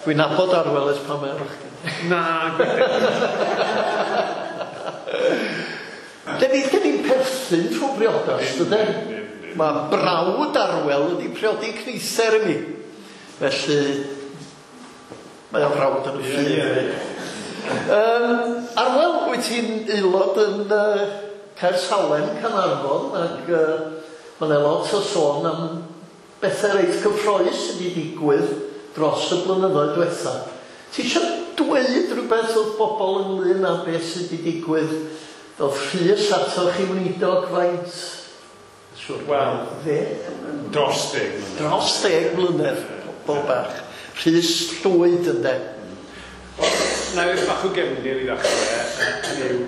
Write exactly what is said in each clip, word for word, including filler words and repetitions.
Dwi'n nabod Arwel ers pan mae o'n fachgen. Na, gwir. Dyn ni, dyn ni'n perthyn trwy briodas, dydyn? Mae brawd Arwel wedi priodi cnither i mi. Felly, mae o'n frawd yn y ffydd. Ie, ie. Um, Arwel, wyt ti'n aelod yn uh, Caersalem, Caernarfon, ac uh, mae yna lot o sôn am bethau reit cyffrous sydd wedi digwydd dros y blynyddoedd diwetha. Ti eisiau dweud rhywbeth wrth bobl ynglyn â beth sydd wedi digwydd fel Rhys atoch chi weinidog faint? Siwr, Wel, ddeg? Dros deg mlynedd. Dros deg mlynedd, pobl bach. Rhys Llwyd, ynde? Wel, na i bach o gefndir i ddechrau. Hynny yw,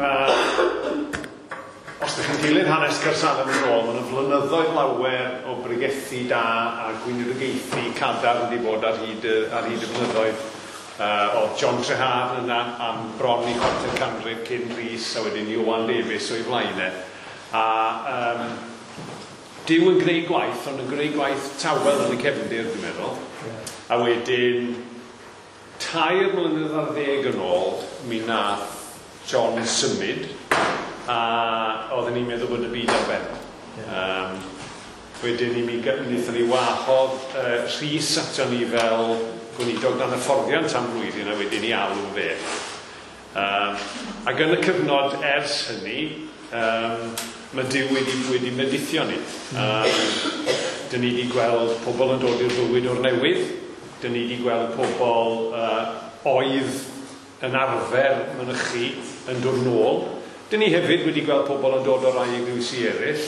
mae... Os ydych chi'n dilyn hanes Caersalem yn ôl, mae yna flynyddoedd lawer o bregethu da a gweinidogaethu cadarn wedi bod ar hyd y, ar hyd y blynyddoedd. Uh, oedd John Treharne yna am bron i chwarter canrif cyn Rhys, a wedyn Ioan Davies o'i flaen e. A um, Duw yn gwneud gwaith, ond yn gwneud gwaith tawel yn y cefndir, dwi'n meddwl. A wedyn, tair mlynedd ar ddeg yn ôl, mi nath John symud, a oedden ni'n meddwl bod y byd ar ben. Um, wedyn ni, mi wnaethon ni wahodd uh, Rhys ato ni fel gweinidog dan hyfforddiant am flwyddyn, a wedyn ni alw fe. Um, ac yn y cyfnod ers hynny, um, mae Duw wedi, wedi medithio ni. Um, dyn ni wedi gweld pobl yn dod i'r bywyd o'r newydd. Dyn ni wedi gweld pobl uh, oedd yn arfer mynychu yn dod nôl. Dyn ni hefyd wedi gweld pobl yn dod o rai eglwysi eraill,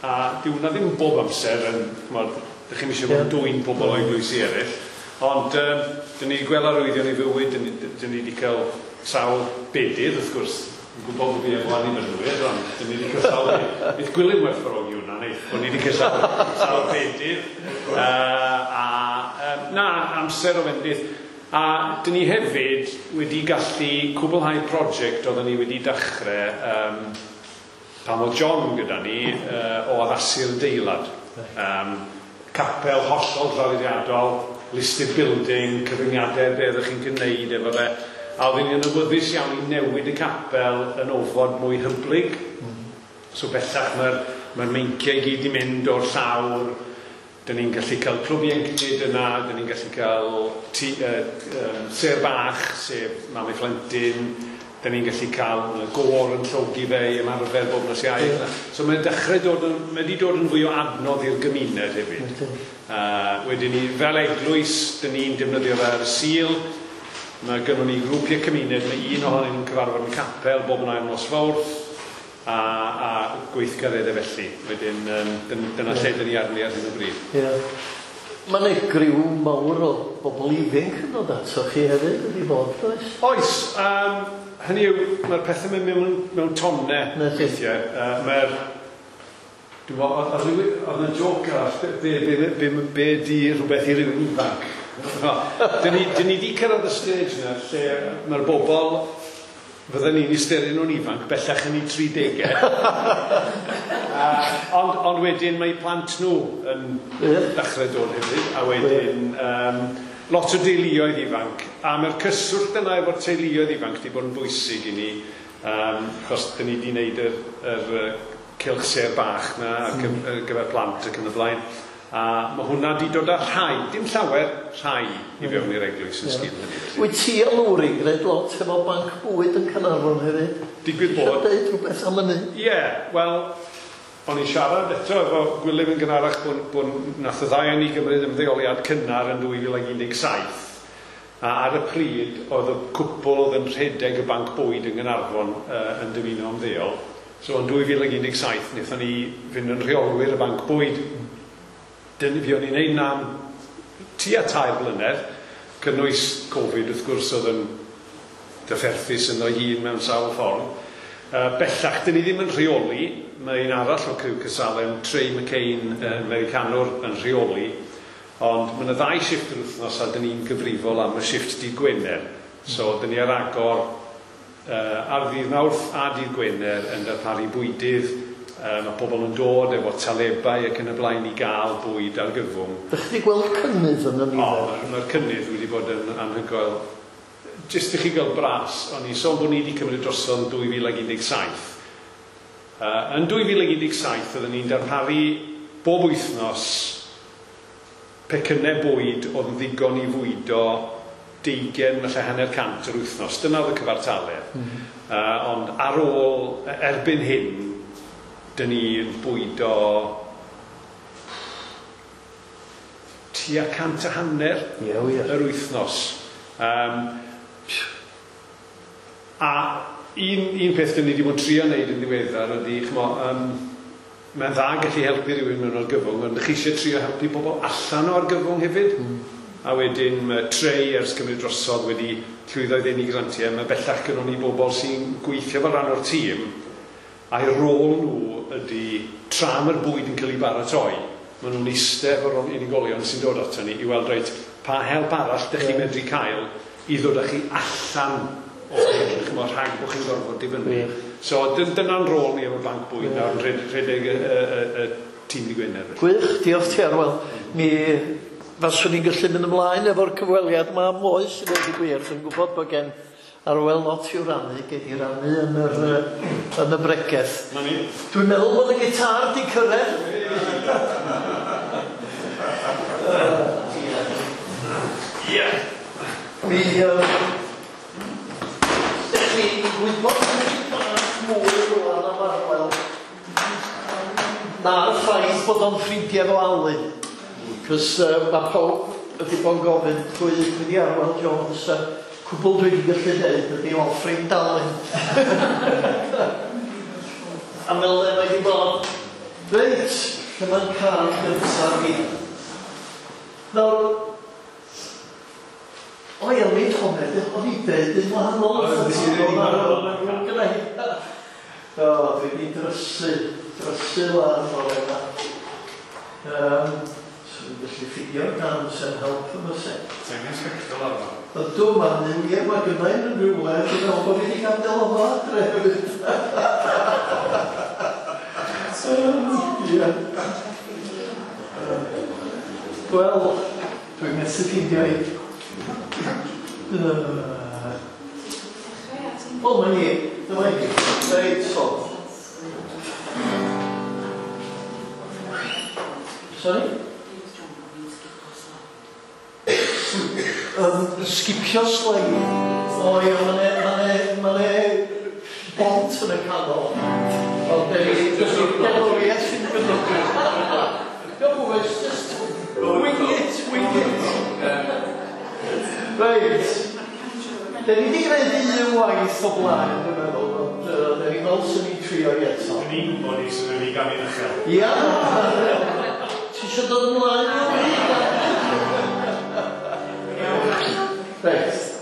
a dyw hwnna ddim bob amser yn, ch'mod, dych chi'm eisiau bod yn dwyn pobl o eglwysi eraill, ond um, dyn ni wedi gweld arwyddion i fywyd, dyn ni, dyn ni wedi cael sawl bedydd, wrth gwrs, yn gwybod bod fi efo annibynwyr, ond dyn ni wedi cael sawl bedydd. Neith Gwilym werthfawrogi hwnna, neith, bod ni wedi cael sawl, sawl bedydd. Uh, a um, na, amser o fendith. A dyn ni hefyd wedi gallu cwblhau prosiect oedden ni wedi dechrau um, pan oedd John gyda ni uh, o addasu'r adeilad. Um, capel hollol traddodiadol, listed building, cyfyngiadau be oeddech chi'n gwneud efo fe. A oedden ni'n awyddus iawn i newid y capel yn ofod mwy hyblyg. So bellach mae'r mae meinciau i gyd i mynd o'r llawr. Dyn ni'n gallu cael clwb ieuenctid yna, dyn ni'n gallu cael tŷ, uh, um, sêr bach, sef mam a phlentyn, dyn ni'n gallu cael gôr yn llogi fe i ymarfer bob nos Iau. Yeah. So mae'n dechrau dod yn, mae wedi dod yn fwy o adnodd i'r gymuned hefyd. Uh, wedyn ni, fel eglwys, dyn ni'n defnyddio fe ar y Sul. Mae gynnon ni grwpiau cymuned, mae un ohonyn nhw'n cyfarfod yn capel bob yn ail nos Fawrth, a, a gweithgareddau felly. Wedyn, um, dyna lle dyn ni arni ar hyn o bryd. Ie. Mae yna griw mawr o bobl ifanc yn dod ato chi hefyd wedi bod, does? Oes. Um, hynny yw, mae'r pethau mynd mewn, mewn tonnau weithiau. Uh, mae'r... Dwi'n meddwl, oedd oedd yna joc arall, be, be, be, be, be di rhywbeth i rywun ifanc? Dyn ni, dyn ni di cyrraedd y stage yna lle mae'r bobl fydden ni'n ystyried nhw'n ifanc, bellach yn eu tri degau. uh, ond, ond wedyn mae plant nhw yn yeah. dechrau dod hefyd, a wedyn um, lot o deuluoedd ifanc. A mae'r cyswllt yna efo'r teuluoedd ifanc wedi bod yn bwysig i ni, um, achos dyn ni wedi gwneud yr, yr cylch sêr bach na ar mm. gyfer plant ac yn y blaen. A mae hwnna wedi dod â rhai, dim llawer, rhai i fewn i'r eglwys yn sgil hynny. Wyt ti a Lowri yn gwneud lot efo banc bwyd yn Caernarfon hefyd? Digwydd bod. Isio deud rhywbeth am hynny? Ie, yeah, wel, o'n i'n siarad eto efo Gwilym yn gynharach bod, bod nath y ddau o'n ni gymryd ymddeoliad cynnar yn dwy fil ag un deg saith. A ar y pryd, oedd y cwpl oedd yn rhedeg y banc bwyd yn Gaernarfon uh, yn dymuno ymddeol. So yn dwy fil ag un deg saith, wnaethon ni fynd yn rheolwyr y banc bwyd. Dyn, fi o'n i'n neud 'na am tua tair blynedd, cynnwys Covid wrth gwrs oedd yn drafferthus ynddo hun mewn sawl ffordd. Uh, bellach, dyn ni ddim yn rheoli, mae un arall o criw Caersalem, Trey McCain, uh, Americanwr, yn rheoli, ond mae yna ddau shifft yr wythnos a dyn ni'n gyfrifol am y shifft dydd Gwener. So, dyn ni ar agor uh, ar ddydd Mawrth a dydd Gwener yn darparu bwydydd, Uh, mae pobl yn dod efo talebau ac yn y blaen i gael bwyd argyfwng. Dych chi wedi gweld cynnydd yn y nifer? O, mae'r cynnydd wedi bod yn anhygoel. Jyst i chi gael bras, o'n i'n sôn bod ni wedi cymryd drosodd yn dwy fil ag un deg saith. Uh, yn dwy fil ag un deg saith, oedden ni'n darparu bob wythnos pecynnau bwyd oedd yn ddigon i fwydo deugain, falle hanner cant yr wythnos. Dyna oedd y cyfartaledd. Mm -hmm. uh, ond ar ôl, erbyn hyn, dyn ni'n bwydo tua cant a hanner yeah, yeah. yr wythnos. Um, a un, un peth dyn ni wedi bod yn trio wneud yn ddiweddar ydy, ch'mo, um, mae'n dda gallu helpu rhywun mewn argyfwng, ond chi eisiau trio helpu pobl allan o argyfwng hefyd. Mm. A wedyn mae Trei ers cymryd drosodd wedi llwyddo i ddenu grantiau. Mae bellach gynnon ni bobl sy'n gweithio fel rhan o'r tîm, a'i rôl nhw ydy, tra mae'r bwyd yn cael ei baratoi, maen nhw'n eistedd efo'r unigolion sy'n dod ato ni i weld reit, pa help arall dych chi'n medru cael i ddod â chi allan o hyn, ch'mo, rhag bod chi'n gorfod dibynnu. Yeah. So dyna'n rôl ni efo'r banc bwyd yeah. nawr yn rhedeg y, y, y, y tîm Dydd Gwener. Gwych, diolch ti Arwel. Mi faswn i'n gallu mynd ymlaen efo'r cyfweliad yma am oes i ddweud y gwir. Dwi'n gwybod bod gen Arwel lot i'w rannu, gei di rannu yn, yr, yn y bregeth. Na ni. Dwi'n meddwl bod y gitar di cyrraedd. Ie. Mi, ydych chi'n gwybod bach mwy rwan am Arwel na'r ffaith bod o'n ffrindiau efo Alun. Cos uh, mae pawb wedi bod yn gofyn pwy pwy di Arwel Jones, a cwbl dwi wedi gallu dweud ydi o ffrind Alun. A fel le mae wedi bod. Reit, dyma'n cael gyntaf fi. Nawr, o ie, o'n i'n honned, o'n i'n deud yn wahanol. O, dwi wedi drysu, drysu lan o'r yma. Um, so dwi'n gallu ffigio'r dan sy'n help yma se. Ti'n angen sbectol arno? Ydw, mae'n ie, mae gynna i'n yn rhywle, dwi'n meddwl bod fi wedi gadael o fo adre hefyd. Ie. Wel, dwi'n methu ffeindio i. Wel, mae'n i, dyma i. Reit, so. Sorry? Um, skipio sleid. O ie, ma' 'ne, ma' 'ne, ma' 'ne bont yn y canol. Ond gerddoriaeth sy'n gynnwch. Don't worry, just wing it, wing it. Reit. Dyn ni wedi gwneud un waith o blaen, dwi'n meddwl, ond uh, dyn ni fel sy'n ni'n trio i eto. Dyn ni'n gwybod ni sy'n ni'n ganu'n uchel. Ia! Ti eisiau dod ymlaen? Reit. Sorry.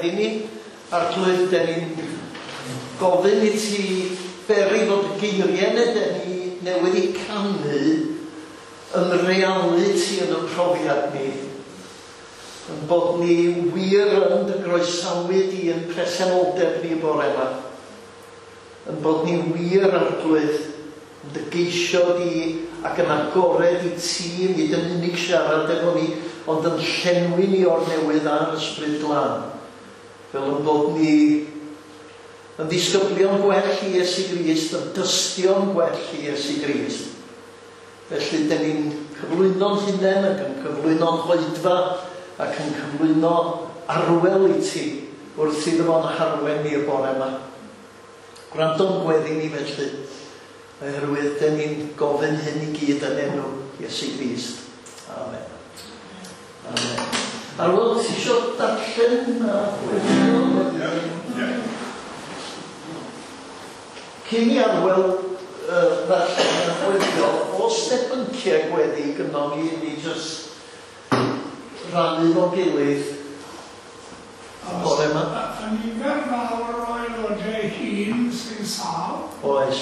gweddi ni. Arglwydd, den ni'n gofyn i ti beri fod y geiriau neu den ni newydd i canu yn realiti yn y profiad ni. Yn bod ni wir yn dy groesawu di yn presenoldeb ni bore yma. Yn bod ni wir, Arglwydd, yn dy geisio di ac yn agored i ti, nid yn unig siarad efo ni, ond yn llenwi ni o'r newydd a'r Ysbryd Glân. Fel yn bod ni yn ddisgyblion gwell i Iesu Grist, yn dystion gwell i Iesu Grist. Felly, dyn ni'n cyflwyno'n hunain ac yn cyflwyno'n hoedfa ac yn cyflwyno arwel i ti wrth iddo fo'n harwen ni y bore yma. Gwrando'n gweddi ni felly, oherwydd dyn ni'n gofyn hyn i gyd yn enw Iesu Grist. Amen. Amen. Arwel, ti eisiau darllen a gweddio? Ie. Cyn i Arwel uh, ddarllen a gweddio, oes 'na bynciau gweddi gynnon ni, ni jyst rannu fo'n gilydd bore yma? Y nifer fawr o aelodau hŷn sy'n sâl. Oes.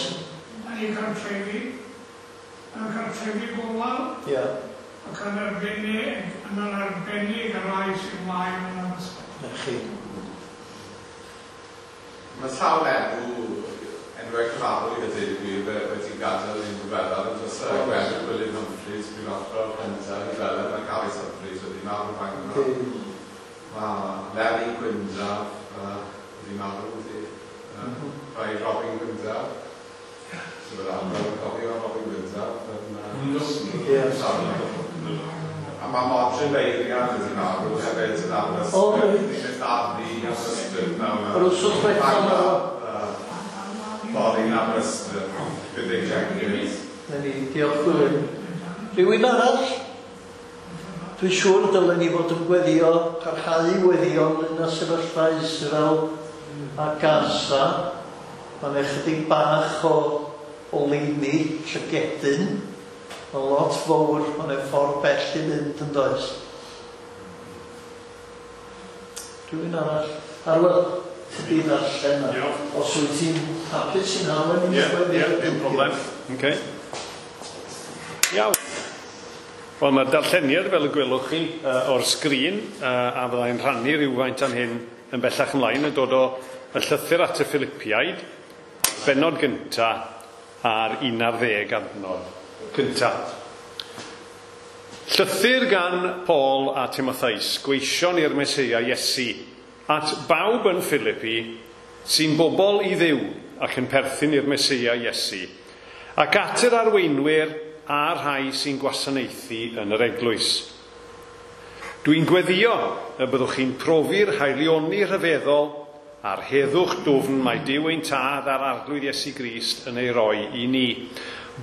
Yn eu cartrefi, yn cartrefi gofal. Ie. Ac yn arbennig, yn arbennig y rhai sy'n wael yn yr ysbyty. Na chi. Mae sawl enw, enwau cyfarwydd a dweud y gwir wedi gadael i'n ddiweddar yn dros y Gwenddydd William Humphreys, prifathro cyntaf i Felin, mae Carys Humphreys wedi marw Bangor. Mae Larry Gwyndaf wedi marw wedi. Mae Robin Gwyndaf. So fel arfer yn cofio Robin Gwyndaf. Ie. A mae Modryn Beirian wedi marw hefyd yn Aberystwyth. O, reit. Ni'n mynd arni Aberystwyth nawr. Yr wsos diwethaf marw. Fory yn Aberystwyth. Gyda Jenkins. Na ni, diolch Gwilym. Rhywun arall? Dwi'n siŵr dylen ni fod yn gweddio, parhau i weddio ynglyn â sefyllfa Israel a Gaza. Mae'n ychydig bach o oleuni, llygedyn. Mae'n lot fawr, mae'n ffordd bell i fynd yn does. Rhywun arall? Arwel, ti di ddarllen na. Os wyt ti'n hapus i'n harwen i'n Ie, ie, dim problem. Okay. Iawn. Wel, mae'r darlleniad, fel y gwelwch chi, uh, o'r sgrin, uh, a fyddai'n rhannu rhywfaint am hyn yn bellach ymlaen, yn dod o y llythyr at y Philippiaid, bennod gynta a'r un ar ddeg adnod cynta. Llythyr gan Paul a Timotheus, gweision i'r Meseia Iesu, at bawb yn Philippi sy'n bobl i Dduw ac yn perthyn i'r Meseia Iesu, ac at yr arweinwyr a'r rhai sy'n gwasanaethu yn yr eglwys. Dwi'n gweddio y byddwch chi'n profi'r haelioni rhyfeddol a'r heddwch dwfn mae Duw ein Tad a'r Arglwydd Iesu Grist yn ei roi i ni.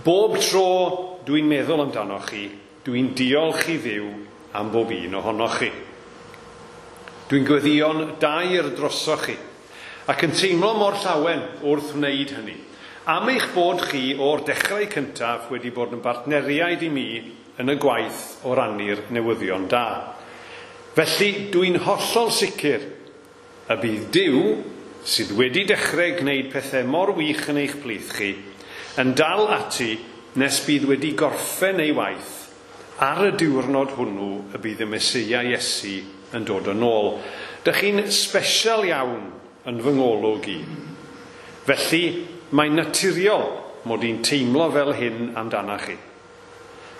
Bob tro dwi'n meddwl amdanoch chi, dwi'n diolch i Dduw am bob un ohonoch chi. Dwi'n gweddïo'n daer drosoch chi, ac yn teimlo mor llawen wrth wneud hynny. Am eich bod chi o'r dechrau cyntaf wedi bod yn bartneriaid i mi yn y gwaith o rannu'r newyddion da. Felly, dwi'n hollol sicr y bydd Duw, sydd wedi dechrau gwneud pethau mor wych yn eich plith chi, yn dal ati nes bydd wedi gorffen ei waith ar y diwrnod hwnnw y bydd y Meseia Iesu yn dod yn ôl. Dych chi'n sbesial iawn yn fy ngolwg i. Felly, mae'n naturiol mod i'n teimlo fel hyn amdanach chi.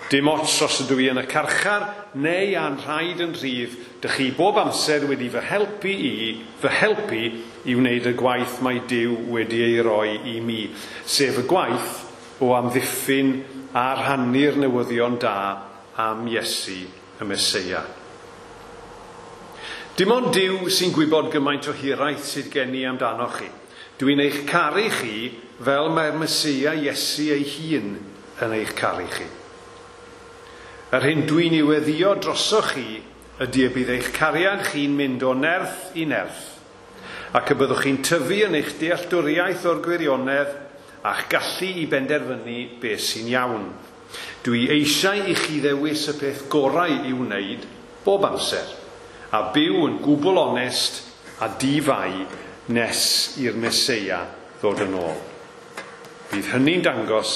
Dim ots os ydw i yn y carchar neu a'n rhaid yn rhydd, dych chi bob amser wedi fy helpu i, fy helpu i wneud y gwaith mae Duw wedi ei roi i mi, sef y gwaith o amddiffyn a rhannu'r newyddion da am Iesu y Meseia. Dim ond Duw sy'n gwybod gymaint o hiraeth sydd gen i amdanoch chi. Dwi'n eich caru chi fel mae'r Meseia Iesu ei hun yn eich caru chi. Yr hyn dwi'n ei weddio drosoch chi ydy y bydd eich cariad chi'n mynd o nerth i nerth, ac y byddwch chi'n tyfu yn eich dealltwriaeth o'r gwirionedd a'ch gallu i benderfynu beth sy'n iawn. Dwi eisiau i chi ddewis y peth gorau i'w wneud bob amser, a byw yn gwbl onest a di-fai nes i'r Meseia ddod yn ôl. Bydd hynny'n dangos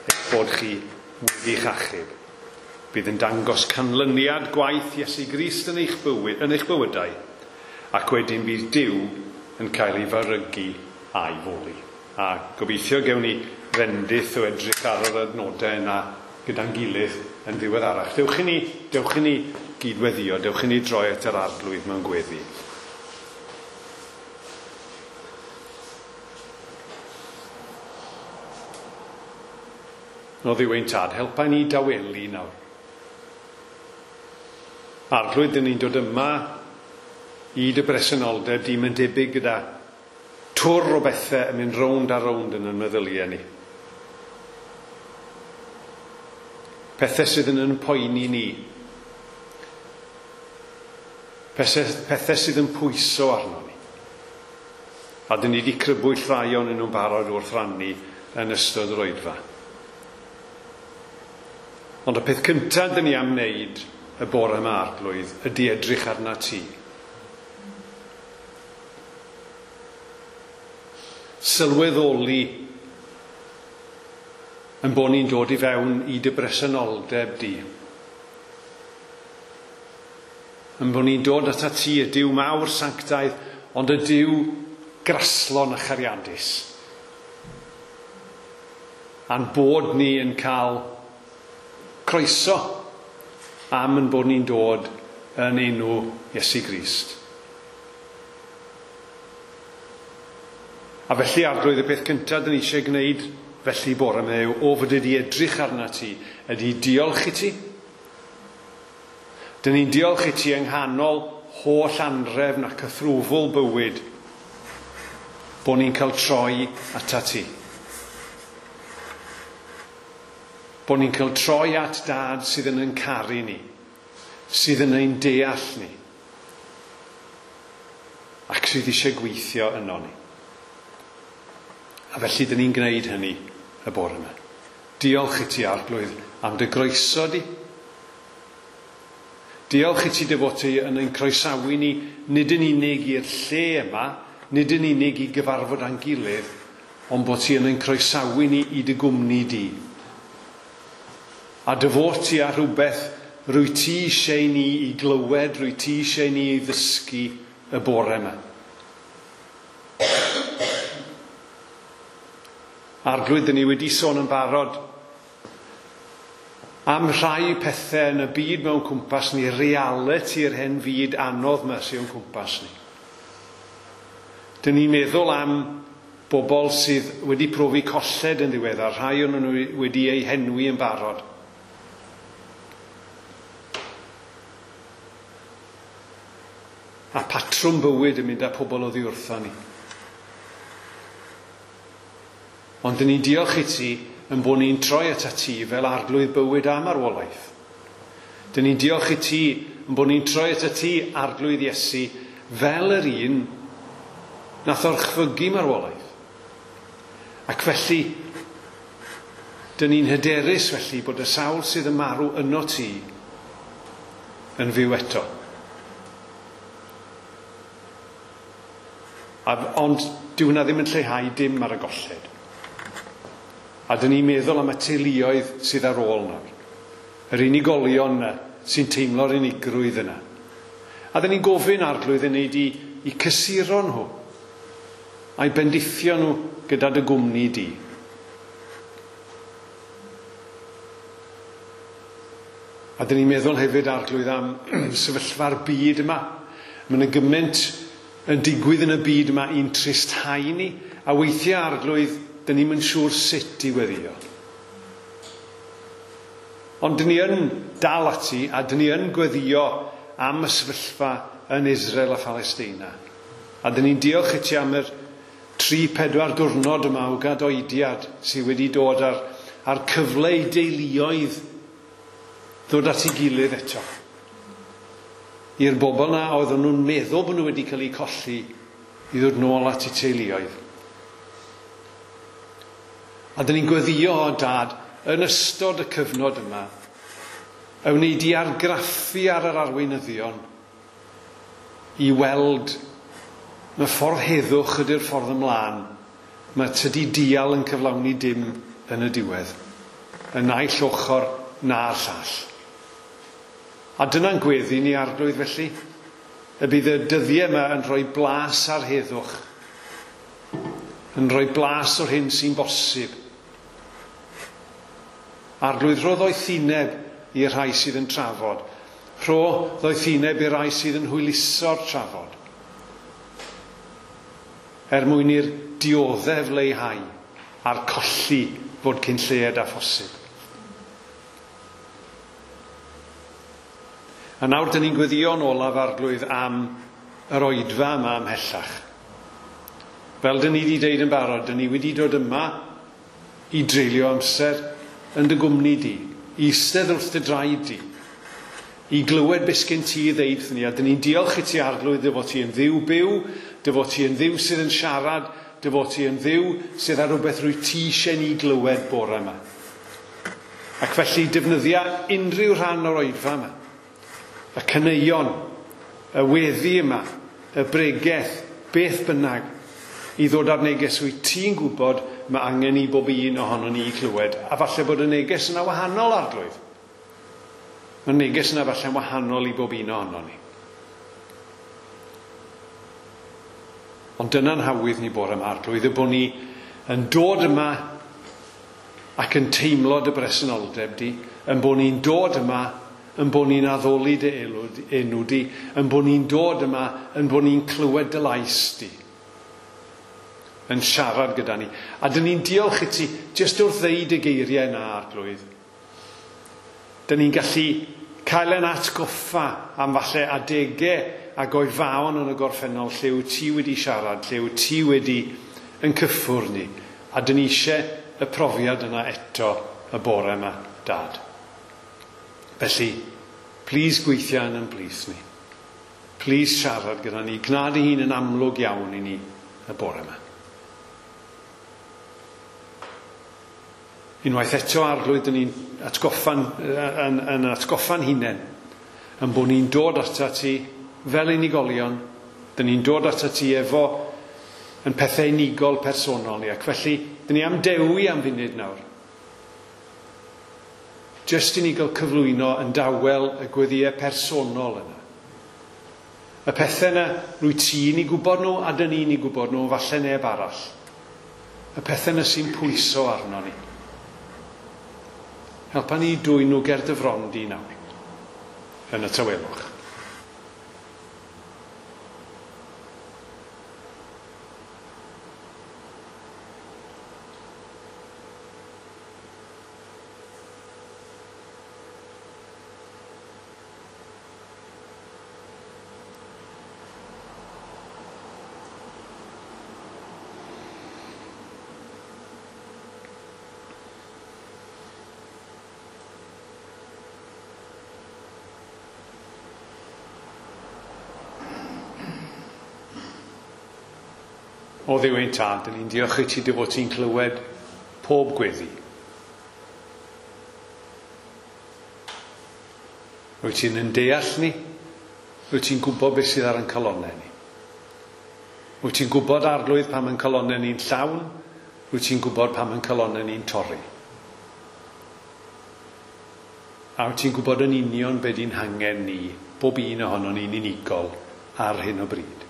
eich bod chi wedi'ch achub. Bydd yn dangos canlyniad gwaith Iesu Grist yn eich bywyd, yn eich bywydau, ac wedyn bydd Duw yn cael ei farygu a'i foli. A gobeithio gewn ni fendith o edrych ar yr adnodau yna gyda'n gilydd yn ddiweddarach. Dewch i ni, dewch i ni gydweddio, dewch i ni droi at yr Arglwydd mewn gweddi. O Dduw ein Tad, helpa ni dawelu nawr. Arglwydd, dyn ni'n dod yma i dy bresenoldeb di, mae'n debyg gyda twr o bethau yn mynd rownd a rownd yn ein meddyliau ni. Pethau sydd yn yn poeni ni. Pethau, pethau sydd yn pwyso arno ni. A dyn ni wedi crybwyll rhai ohonyn nhw'n barod wrth rannu yn ystod yr oedfa. Ond y peth cyntaf dyn ni am wneud y bore yma, Arglwydd, ydy edrych arna ti. Sylweddoli yn bod ni'n dod i fewn i dy bresenoldeb di. Yn bod ni'n dod ata ti, y Duw mawr sanctaidd, ond y Duw graslon a chariadus. A'n bod ni yn cael croeso am yn bod ni'n dod yn enw Iesu Grist. A felly, Arglwydd, y peth cyntaf dyn ni eisiau gwneud felly bore yma yw o fod ydi edrych arna ti, ydi diolch i ti. Dyn ni'n diolch i ti yng nghanol holl anrefn ac cythrwfl bywyd bod ni'n cael troi ata ti. Bod ni'n cael troi at Dad sydd yn ein caru ni, sydd yn ein deall ni, ac sydd eisiau gweithio yno ni. A felly dyn ni'n gwneud hynny y bore yma. Diolch i ti, Arglwydd, am dy groeso di. Diolch i ti dy fod ti yn ein croesawu ni, nid yn unig i'r lle yma, nid yn unig i gyfarfod â'n gilydd, ond bod ti yn ein croesawu ni i dy gwmni di. A dy fod ti ar rhywbeth rwy ti eisiau ni i glywed, rwy ti eisiau ni i ddysgu y bore yma. Arglwydd, dyn ni wedi sôn yn barod am rhai pethau yn y byd mewn cwmpas ni, reality yr hen fyd anodd yma sydd o'n cwmpas ni. Dyn ni'n meddwl am bobl sydd wedi profi colled yn ddiweddar, rhai o'n nhw wedi eu henwi yn barod. A patrwm bywyd yn mynd â pobl oddi wrtho ni. Ond dyn ni'n diolch i ti yn bod ni'n troi at ti fel Arglwydd bywyd a marwolaeth. Dyn ni'n diolch i ti yn bod ni'n troi at ti, Arglwydd Iesu, fel yr un nath orchfygu marwolaeth. Ac felly, dyn ni'n hyderus felly bod y sawl sydd yn marw yno ti yn fyw eto. A, ond dyw hwnna ddim yn lleihau dim ar y golled. A dyn ni'n meddwl am y teuluoedd sydd ar ôl nawr. Yr unigolion yna sy'n teimlo'r unigrwydd yna. A dyn ni'n gofyn Arglwydd yn neud i, i cysuro nhw a'i bendithio nhw gyda dy gwmni di. A dyn ni'n meddwl hefyd, Arglwydd, am sefyllfa'r byd yma. Mae yna gymaint yn digwydd yn y byd yma i'n tristhau ni, a weithiau, Arglwydd, dyn ni'm yn siŵr sut i weddio. Ond dyn ni yn dal ati a dyn ni yn gweddio am y sefyllfa yn Israel a Phalestina. A dyn ni'n diolch i ti am yr tri pedwar diwrnod yma o gadoediad sydd wedi dod ar, ar cyfle i deuluoedd ddod at ei gilydd eto. I'r bobl na oedden nhw'n meddwl bod nhw wedi cael eu colli i ddod nôl at eu teuluoedd. A dyn ni'n gweddio, Dad, yn ystod y cyfnod yma, y wneud i argraffu ar yr arweinyddion i weld Mae ffordd heddwch ydy'r ffordd ymlaen. Mae tydi dial yn cyflawni dim yn y diwedd. Y naill ochr na'r llall. A dyna'n gweddi ni Arglwydd felly. Y bydd y dyddiau yma yn rhoi blas ar heddwch. Yn rhoi blas o'r hyn sy'n bosib. Arglwydd, rho ddoethineb i'r rhai sydd yn trafod. Rho ddoethineb i'r rhai sydd yn hwyluso'r trafod. Er mwyn i'r dioddef leihau a'r colli fod cyn lleied â phosib. A nawr dyn ni'n gweddïo'n olaf Arglwydd am yr oedfa yma ymhellach. Fel dyn ni wedi deud yn barod, dyn ni wedi dod yma i dreulio amser yn dy gwmni di, i eistedd wrth dy draed di, i glywed beth sgen ti i ddeud ni. A dyn ni'n diolch i ti Arglwydd dy fod ti yn Dduw byw, dy fod ti yn Dduw sydd yn siarad, dy fod ti yn Dduw sydd ar rhywbeth rwy ti eisiau ni glywed bore yma. Ac felly defnyddia unrhyw rhan o'r oedfa yma. Y caneuon, y weddi yma, y bregeth, beth bynnag, i ddod ar neges wyt ti'n gwybod mae angen i bob un ohono ni i clywed. A falle bod y neges yna wahanol, Arglwydd. Mae'r neges yna falle'n wahanol i bob un ohono ni. Ond dyna'n hawydd ni bore yma, Arglwydd, y bod ni yn dod yma ac yn teimlo dy bresenoldeb di, yn bod ni'n dod yma, yn bod ni'n addoli dy enw di, yn bod ni'n dod yma, yn bod ni'n clywed dy lais di, yn siarad gyda ni. A dyn ni'n diolch i ti jyst wrth ddeud y geiriau yna, Arglwydd. Dyn ni'n gallu cael ein atgoffa am falle adegau ac oedfaon yn y gorffennol lle wyt ti wedi siarad, lle wyt ti wedi yn cyffwrdd ni. A dyn ni eisiau y profiad yna eto y bore yma, Dad. Felly, plis gweithio yn ein plith ni. Plis siarad gyda ni. Gwna dy hun yn amlwg iawn i ni y bore yma. Unwaith eto, Arglwydd, dyn ni'n atgoffa'n, yn, yn atgoffa'n hunain, yn bod ni'n dod atat ti fel unigolion, dyn ni'n dod atat ti efo yn pethau unigol personol ni, ac felly, dyn ni am dewi am funud nawr. Jyst i ni gael cyflwyno yn dawel y gweddïau personol yna. Y pethau yna, rwy ti'n i gwybod nhw a dyn ni'n i gwybod nhw, falle neb arall. Y pethau yna sy'n pwyso arno ni. Helpa ni dwyn nhw ger dy fron di nawr, yn y tawelwch. O Dduw ein Tad, dyn ni'n diolch i ti dy fod ti'n clywed pob gweddi. Wyt ti'n yn deall ni, wyt ti'n gwybod beth sydd ar ein calonnau ni. Wyt ti'n gwybod, Arglwydd, pam ein calonnau ni'n llawn, wyt ti'n gwybod pam ein calonnau ni'n torri. A wyt ti'n gwybod yn union be di'n hangen ni, bob un ohonon ni'n unigol ar hyn o bryd.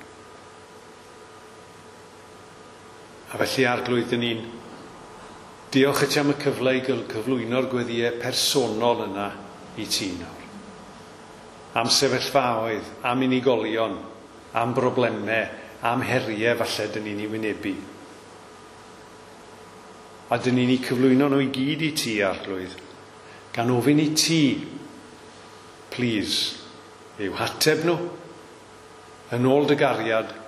A felly, Arglwydd, dyn ni'n diolch i ti am y cyfle i gael cyflwyno'r gweddïau personol yna i ti nawr. Am sefyllfaoedd, am unigolion, am broblemau, am heriau falle dyn ni'n ei wynebu. A dyn ni'n ei cyflwyno nhw i gyd i ti, Arglwydd, gan ofyn i ti, please, i'w hateb nhw, yn ôl dy gariad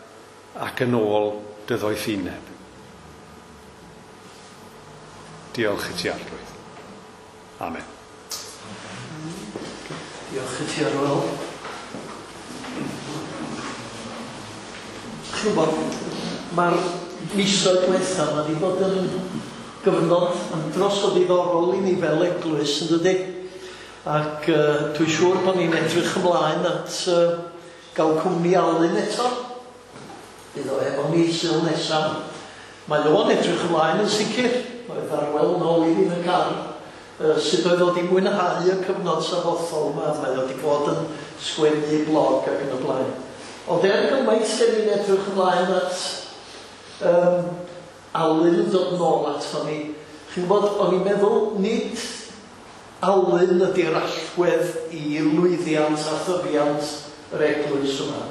ac yn ôl dy ddoethineb. Diolch i ti, Arglwydd. Amen. Diolch i ti, Arwel. Chi'n gwybod, mae'r misoedd diwetha yma wedi bod yn gyfnod andros o ddiddorol i ni fel eglwys, yn dydi? Ac uh, dwi'n siŵr bod ni'n edrych ymlaen at uh, gael cwmni Alun eto. Bydd o efo ni Sul nesaf. Mae o'n edrych ymlaen yn sicr. Mae Arwel nôl i fi yn y car. Uh, sut oedd o wedi mwynhau y cyfnod sabothol yma. Mae o wedi bod yn sgwennu blog ac yn y blaen. Ond er gymaint lle ni'n edrych ymlaen at um, Alun yn dod nôl ato ni. Chi'n gwybod, o'n i'n meddwl nid Alun ydy'r allwedd i lwyddiant a thyfiant yr eglwys yma.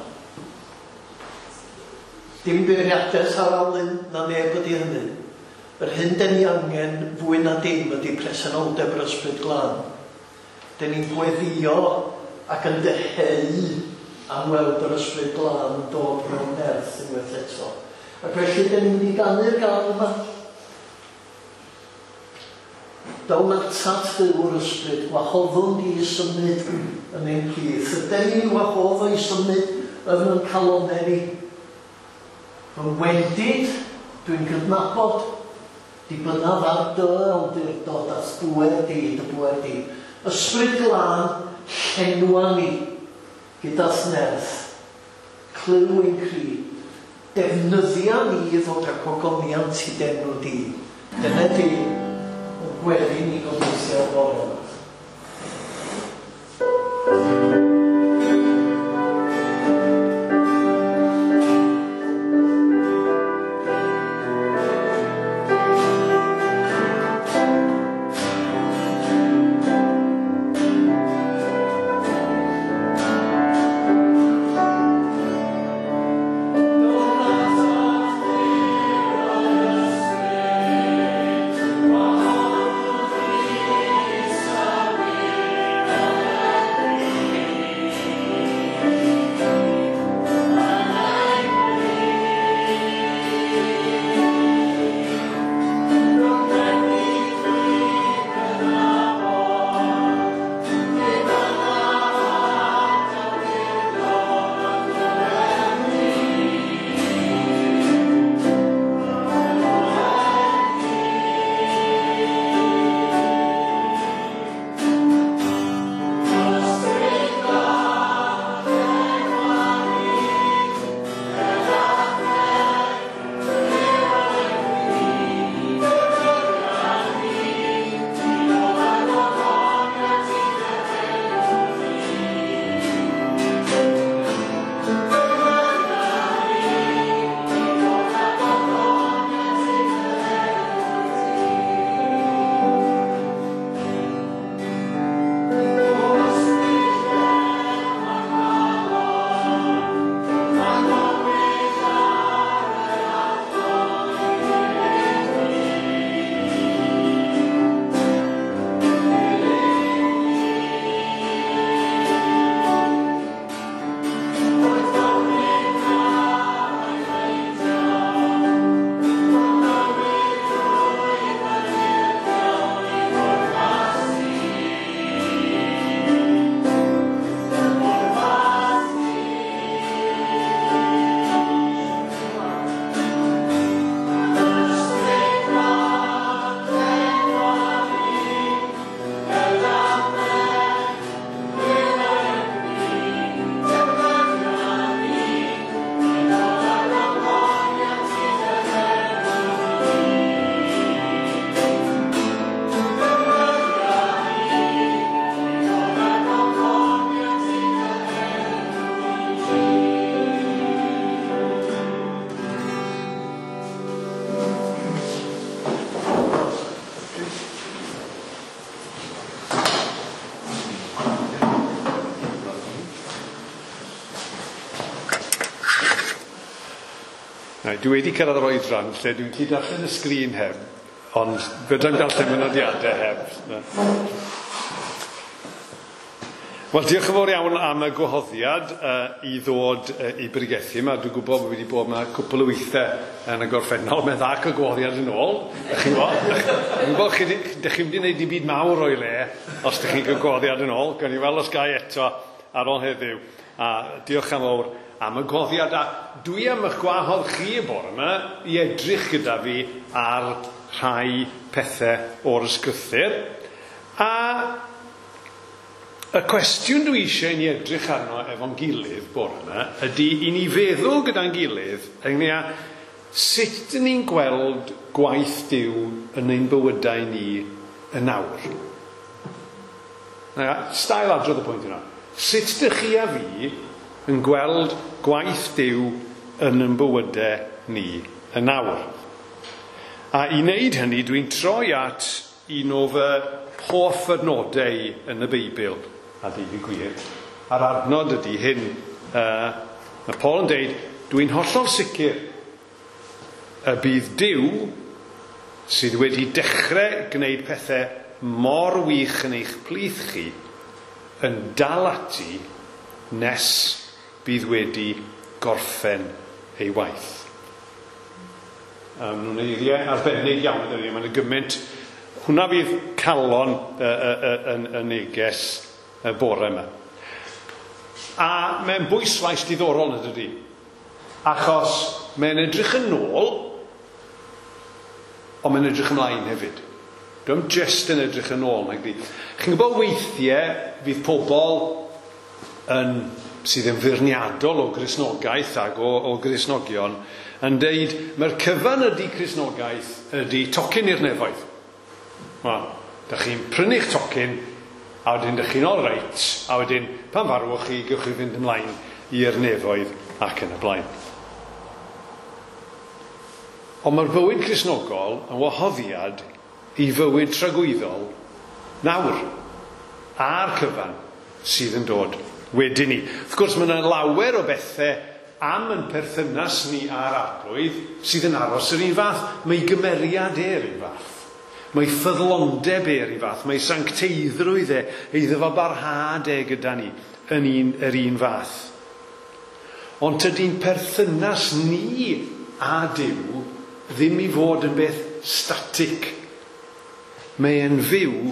Dim beirniadaeth ar Alun na neb ydy hynny. Yr hyn den ni angen fwy na dim ydy presenoldeb yr Ysbryd Glân. Den ni'n gweddio ac yn dyheu am weld yr Ysbryd Glân yn dod mewn nerth unwaith eto. Ac felly den ni'n mynd i ganu'r gân yma. Down atat Dduw'r Ysbryd, gwahoddwn di i symud yn ein plith. Yden ni'n wahodd o i symud yn ein calonnau ni. Fy wendid, dwi'n cydnabod, dibynnaf ar dy awdurdod at bŵer di, dy bŵer di. Ysbryd Glân, llenwa ni gyda's nerth. Clyw ein cri. Defnyddia ni i ddod â gogoniant i d'enw di. Dyna di yn gweddi ni gobeithio bore yma. Dwi wedi cyrraedd yr oedran lle dwi'n gallu darllen y sgrin heb, ond fedrai'm darllen fy nodiadau heb. Wel, diolch yn fawr iawn am y gwahoddiad uh, i ddod uh, i bregethu yma. Dwi'n gwybod bod fi wedi bod yma cwpl o weithiau yn y gorffennol. Mae'n dda cael gwahoddiad yn ôl. Chi'n gwybod? Dwi'n gwybod chi, dych chi'n mynd i wneud dim byd mawr o'i le os dych chi'n cael gwahoddiad yn ôl. Gawn ni weld os gai eto ar ôl heddiw. A diolch yn fawr am y gwahoddiad. A dwi am eich gwahodd chi y bore yma i edrych gyda fi ar rhai pethau o'r ysgrythur. A Y cwestiwn dwi eisiau i ni edrych arno efo'n gilydd bore yma ydy i ni feddwl gyda'n gilydd ynglyn â sut dyn ni'n gweld gwaith Duw yn ein bywydau ni yn awr. Na, stael adrodd y pwynt yna. Sut dych chi a fi yn gweld gwaith Duw yn ein bywydau ni yn awr? A i wneud hynny, dwi'n troi at un o fy hoff adnodau yn y Beibl, a deud y gwir. A'r adnod ydy hyn. Uh, mae Paul yn deud, dwi'n hollol sicr y bydd Duw sydd wedi dechrau gwneud pethau mor wych yn eich plith chi yn dal ati nes bydd wedi gorffen ei waith. Um, nhw'n eiriau arbennig iawn ydyn ni, mae'n gymaint. Hwna fydd calon y, y, y, y, y neges y bore yma. A mae'n bwyslais diddorol yn dydi, achos mae'n edrych yn ôl, ond mae'n edrych ymlaen hefyd. Dwi'n just yn edrych yn ôl, nag di. Chi'n gwybod weithiau fydd pobl yn, sydd yn feirniadol o Gristnogaeth ac o, o Gristnogion yn deud, mae'r cyfan ydy Cristnogaeth ydy tocyn i'r nefoedd. Wel, dych chi'n prynu'ch tocyn, a wedyn dych chi'n all right, a wedyn pan farwch chi, gewch chi fynd ymlaen i'r nefoedd ac yn y blaen. Ond mae'r bywyd Cristnogol yn wahoddiad i fywyd tragwyddol nawr, a'r cyfan sydd yn dod wedyn ni. Wrth gwrs, mae yna lawer o bethau am yn perthynas ni â'r Arglwydd sydd yn aros yr un fath. Mae gymeriad e'r un fath. Mae ffyddlondeb e'r un fath. Mae sancteiddrwydd e, ei ddyfalbarhad e gyda ni yn un, yr un fath. Ond tydi'n perthynas ni a Duw ddim i fod yn beth static. Mae e'n fyw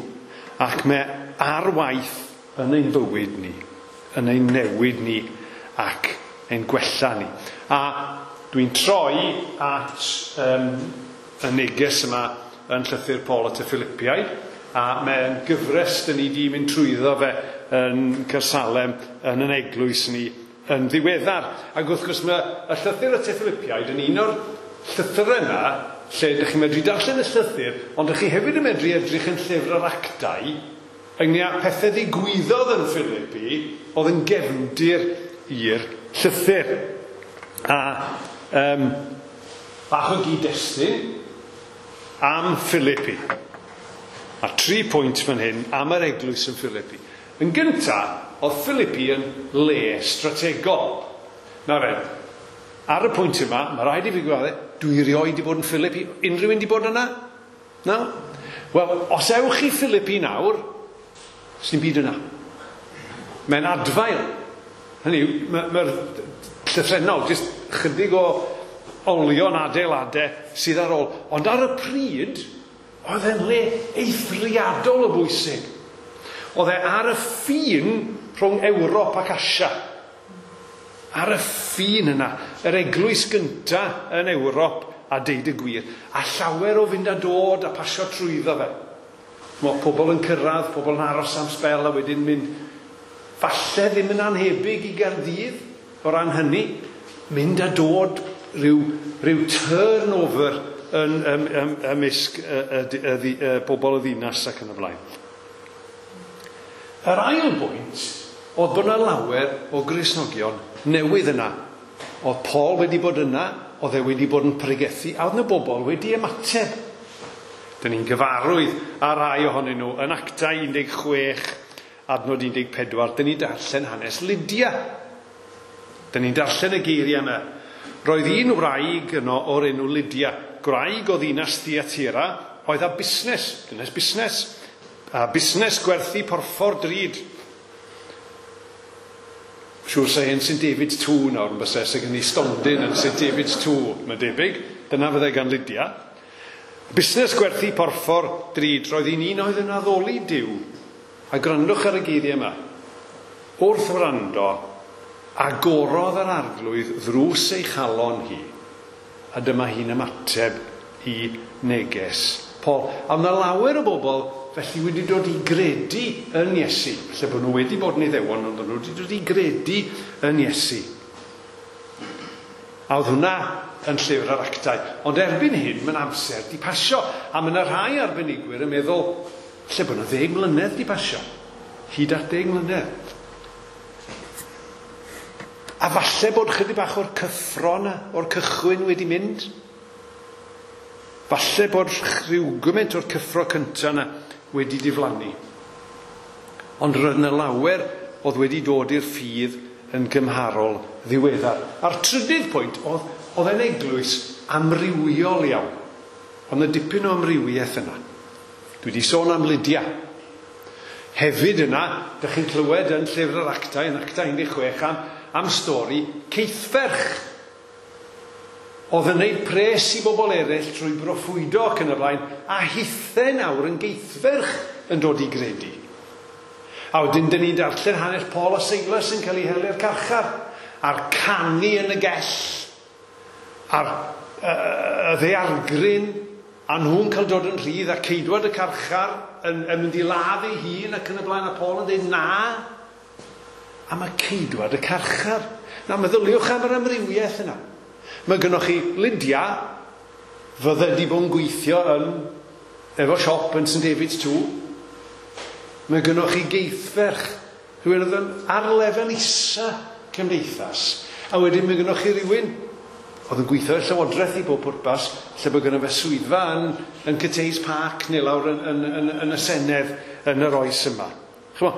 ac mae ar waith yn ein bywyd ni, yn ein newid ni ac ein gwella ni. A dwi'n troi at um, y neges yma yn llythyr Paul at y Philippiaid, a mae'n gyfres dyn ni di mynd trwyddo fe yn Caersalem yn yn eglwys ni yn ddiweddar. Ac wrth gwrs mae y llythyr at y Philippiaid yn un o'r llythyrau yma lle ydych chi'n medru darllen y llythyr, ond ydych chi hefyd yn medru edrych yn llyfr yr actau ynglyn â pethau ddigwyddodd yn Philippi oedd yn gefndir i'r llythyr. A um, bach o gyd-destun am Philippi. A tri pwynt fan hyn am yr eglwys yn Philippi. Yn gynta, oedd Philippi yn le strategol. Nawr then, ar y pwynt yma, mae rhaid i fi gwadde, dwi erioed di bod yn Philippi. Unrhyw un di bod yna? Na? Wel, os ewch i Philippi nawr, sy'n byd yna. Mae'n adfail. Hynny yw, mae'r llythrennol, jyst chydig o olion adeiladau sydd ar ôl. Ond ar y pryd, oedd e'n le eithriadol o bwysig. Oedd e ar y ffin rhwng Ewrop ac Asia. Ar y ffin yna, yr eglwys gynta yn Ewrop a deud y gwir. A llawer o fynd a dod a pasio trwyddo fe. Mae pobl yn cyrraedd, pobl yn aros am sbel a wedyn mynd, falle ddim yn anhebyg i Gaerdydd o ran hynny, mynd a dod rhyw, rhyw turnover yn, ym, ym, ymysg y, y, y, y, y bobl y ddinas ac yn y blaen. Yr ail bwynt oedd bod yna lawer o Gristnogion newydd yna. Oedd Paul wedi bod yna, oedd e wedi bod yn pregethu, a oedd yna bobl wedi ymateb. Dyn ni'n gyfarwydd ar rai ohonyn nhw yn Actau un deg chwech, adnod un deg pedwar, dyn ni'n darllen hanes Lydia. Dyn ni'n darllen y geiriau yma. Roedd un wraig yno o'r enw Lydia, gwraig o ddinas Thyatira, oedd â busnes, dynes busnes, a busnes gwerthu porffor drud. Siŵr sa hyn Saint David's Two nawr yn byse, sydd gen i stondin yn Saint David's Two, mae'n debyg. Dyna fyddai gan Lydia. Busnes gwerthu porffor drud, roedd hi'n un oedd yn addoli Duw. A gwrandwch ar y geiriau yma. Wrth wrando, agorodd yr Arglwydd ddrws ei chalon hi, a dyma hi'n ymateb i neges Paul. A yna lawer o bobl felly wedi dod i gredu yn Iesu. Felly bod nhw wedi bod yn Iddewon, ond nhw wedi dod i gredu yn Iesu. A oedd hwnna yn llyfr yr Actau. Ond erbyn hyn, mae'n amser di pasio. A mae yna rhai arbenigwyr yn meddwl, lle bod yna ddeg mlynedd di pasio. Hyd at deg mlynedd. A falle bod chydig bach o'r cyffro yna, o'r cychwyn wedi mynd. Falle bod rhyw gymaint o'r cyffro cyntaf yna wedi diflannu. Ond roedd yna lawer oedd wedi dod i'r ffydd yn gymharol ddiweddar. A'r trydydd pwynt oedd, oedd e'n eglwys amrywiol iawn. Oedd yna dipyn o amrywiaeth yna. Dwi wedi sôn am Lydia. Hefyd yna, dych chi'n clywed yn llyfr yr Actau, yn Actau un deg chwech, am, am stori Ceithferch. Oedd yn gwneud pres i bobl eraill trwy broffwydo ac yn y blaen, a hithe nawr yn Geithferch yn dod i gredu. A wedyn, dyn ni'n darllen hanes Paul a Silas yn cael ei hel i'r carchar, a'r canu yn y gell, a'r uh, y ddaeargryn, a nhw'n cael dod yn rhydd, a ceidwad y carchar yn, yn mynd i ladd ei hun ac yn y blaen, a Paul yn dweud na. A mae ceidwad y carchar. Na, meddyliwch am yr amrywiaeth yna. Mae gynnoch chi Lydia, fydde di bod yn gweithio yn, efo siop yn Saint David's Two. Mae gynnoch chi Geithferch, rhywun oedd yn ar lefel isa cymdeithas. A wedyn mae gynnoch chi rhywun oedd yn gweithio i'r Llywodraeth i bob pwrpas, lle bod gynno fe swyddfa yn, yn Cathays Park neu lawr yn, yn, yn, yn y Senedd yn yr oes yma. Ch'mo,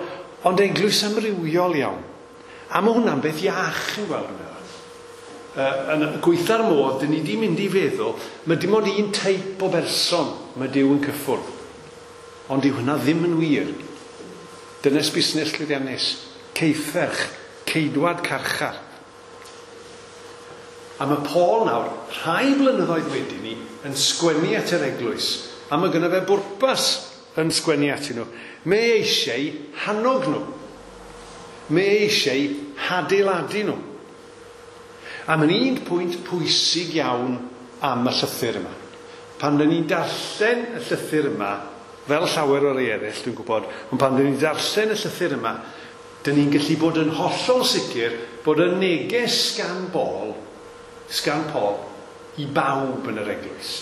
ond eglwys amrywiol iawn. A mae hwnna'n beth iach yn gweld yn meddwl. Uh, yn gweitha'r modd, dyn ni di mynd i feddwl, mae dim ond un teip o berson mae Duw yn cyffwrdd. Ond dyw hwnna ddim yn wir. Dynes busnes llwyddiannus, Ceithferch, ceidwad carchar. A mae Paul nawr, rhai blynyddoedd wedyn ni, yn sgwennu at yr eglwys. A mae gynno fe bwrpas yn sgwennu atyn nhw. Mae eisiau hannog nhw. Mae eisiau hadeiladu nhw. A mae'n un pwynt pwysig iawn am y llythyr yma. Pan dyn ni'n darllen y llythyr yma, fel llawer o'r eraill, dwi'n gwybod, ond pan dyn ni'n darllen y llythyr yma, dyn ni'n gallu bod yn hollol sicr bod y neges gan Paul, sgan Paul, i bawb yn yr eglwys.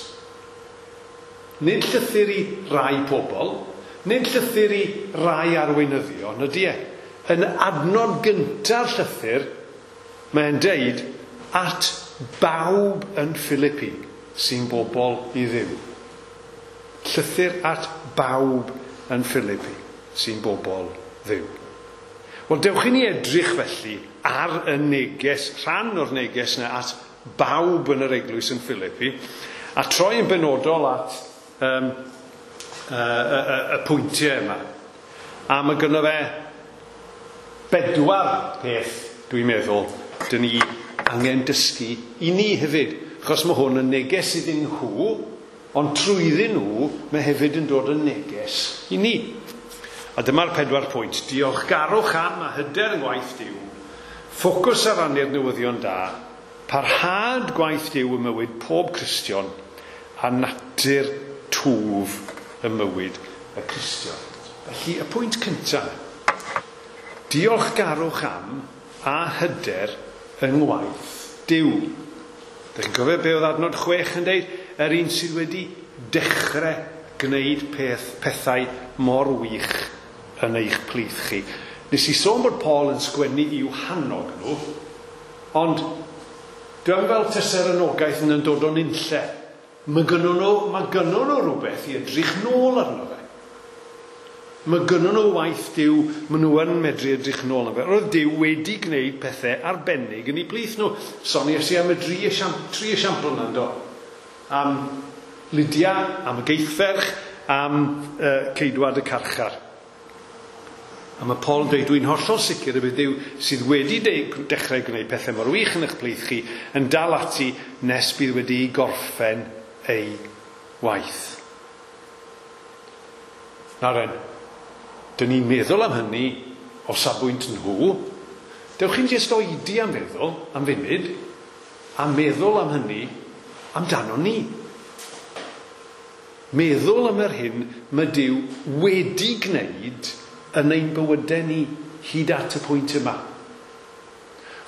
Nid llythyr i rai pobl, nid llythyr i rai arweinyddion, ydy e. Yn adnod gynta'r llythyr, mae'n deud at bawb yn Philippi sy'n bobl i Dduw. Llythyr at bawb yn Philippi sy'n bobl Dduw. Wel, dewch i ni edrych felly ar y neges, rhan o'r neges yna at bawb yn yr eglwys yn Philippi, a troi yn benodol at um, y, y, y, y pwyntiau yma. A mae gynno fe bedwar peth, dwi'n meddwl, dyn ni angen dysgu i ni hefyd. Achos mae hwn yn neges iddyn nhw, ond trwyddyn nhw, mae hefyd yn dod yn neges i ni. A dyma'r pedwar pwynt. Diolchgarwch am a hyder yng ngwaith Duw. Ffocws ar rannu'r newyddion da. Parhad gwaith Duw ym mywyd pob Cristion a natur twf ym mywyd y Cristion. Felly, y pwynt cyntaf. Diolchgarwch am a hyder yng ngwaith Duw. Dych chi'n cofio be oedd adnod chwech yn deud? Yr un sydd wedi dechrau gwneud peth, pethau mor wych yn eich plith chi. Nes i sôn bod Paul yn sgwennu i'w hannog nhw, ond dwi'n fel tyse'r anogaeth yn dod o'n unlle. Mae gynnon nhw, mae gynnon nhw rhywbeth i edrych nôl arno fe. Mae gynnon nhw waith Duw, maen nhw yn medru edrych nôl arno fe. Roedd Duw wedi gwneud pethau arbennig yn eu plith nhw. Soniais i am y dri esiampl, tri esiampl yna, yndo? Am Lydia, am y Geithferch, am uh, ceidwad y carchar. A mae Paul yn dweud, dwi'n hollol sicr y bydd Duw sydd wedi de- dechrau gwneud pethau mor wych yn eich plith chi yn dal ati nes bydd wedi gorffen ei waith. Nawr en, dyn ni'n meddwl am hynny o safbwynt nhw. Dewch chi'n jyst oedi am feddwl, am funud, a meddwl am hynny amdano ni. Meddwl am yr hyn mae Duw wedi gwneud yn ein bywydau ni hyd at y pwynt yma.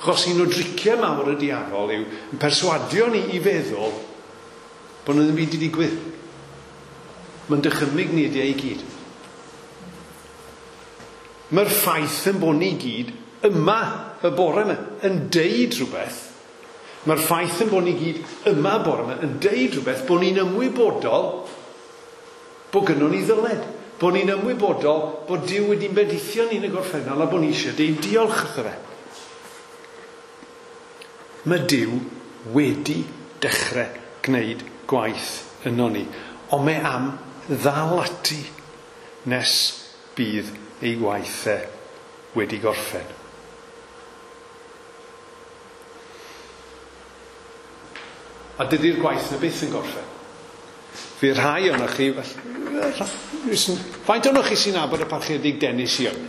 Achos un o driciau mawr y diafol yw yn perswadio ni i feddwl bod yna ddim byd wedi digwydd. Mae'n dychymyg ni ydi e i gyd. Mae'r ffaith yn bod ni gyd yma y bore yma yn deud rhywbeth. Mae'r ffaith yn bod ni gyd yma y bore yma yn deud rhywbeth bod ni'n ymwybodol bod gynnon ni ddyled. Bod ni'n ymwybodol bod Duw wedi'n bendithio ni yn y gorffennol a bod ni eisiau deud diolch wrtho fe. Mae Duw wedi dechrau gwneud gwaith yno ni, ond mae am ddal ati nes bydd ei gwaith e wedi gorffen. A dydy'r gwaith na byth yn gorffen. Fydd rhai ohonoch chi, faint ohonoch chi sy'n nabod y parchedig Dennis Young?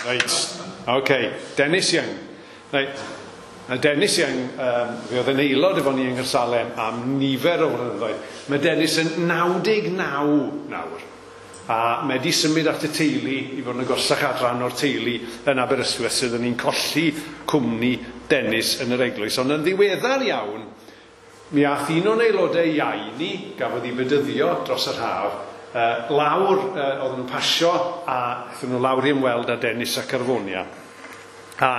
Reit, oce, okay. Dennis Young. Reit. A Dennis Young, um, fe oedd yn aelod efo ni yng Nghaersalem am nifer o flynyddoedd. Mae Dennis yn naw deg naw nawr. A mae wedi symud at y teulu i fod yn agosach adran o'r teulu yn Aberystwyth, sydd yn ni'n colli cwmni Dennis yn yr eglwys. Ond yn ddiweddar iawn, mi ath un o'n aelodau iau ni, gafodd ei fedyddio dros yr haf, uh, lawr, uh, oedden nhw'n pasio, a aethon nhw lawr i ymweld â Dennis ac Arfonia. A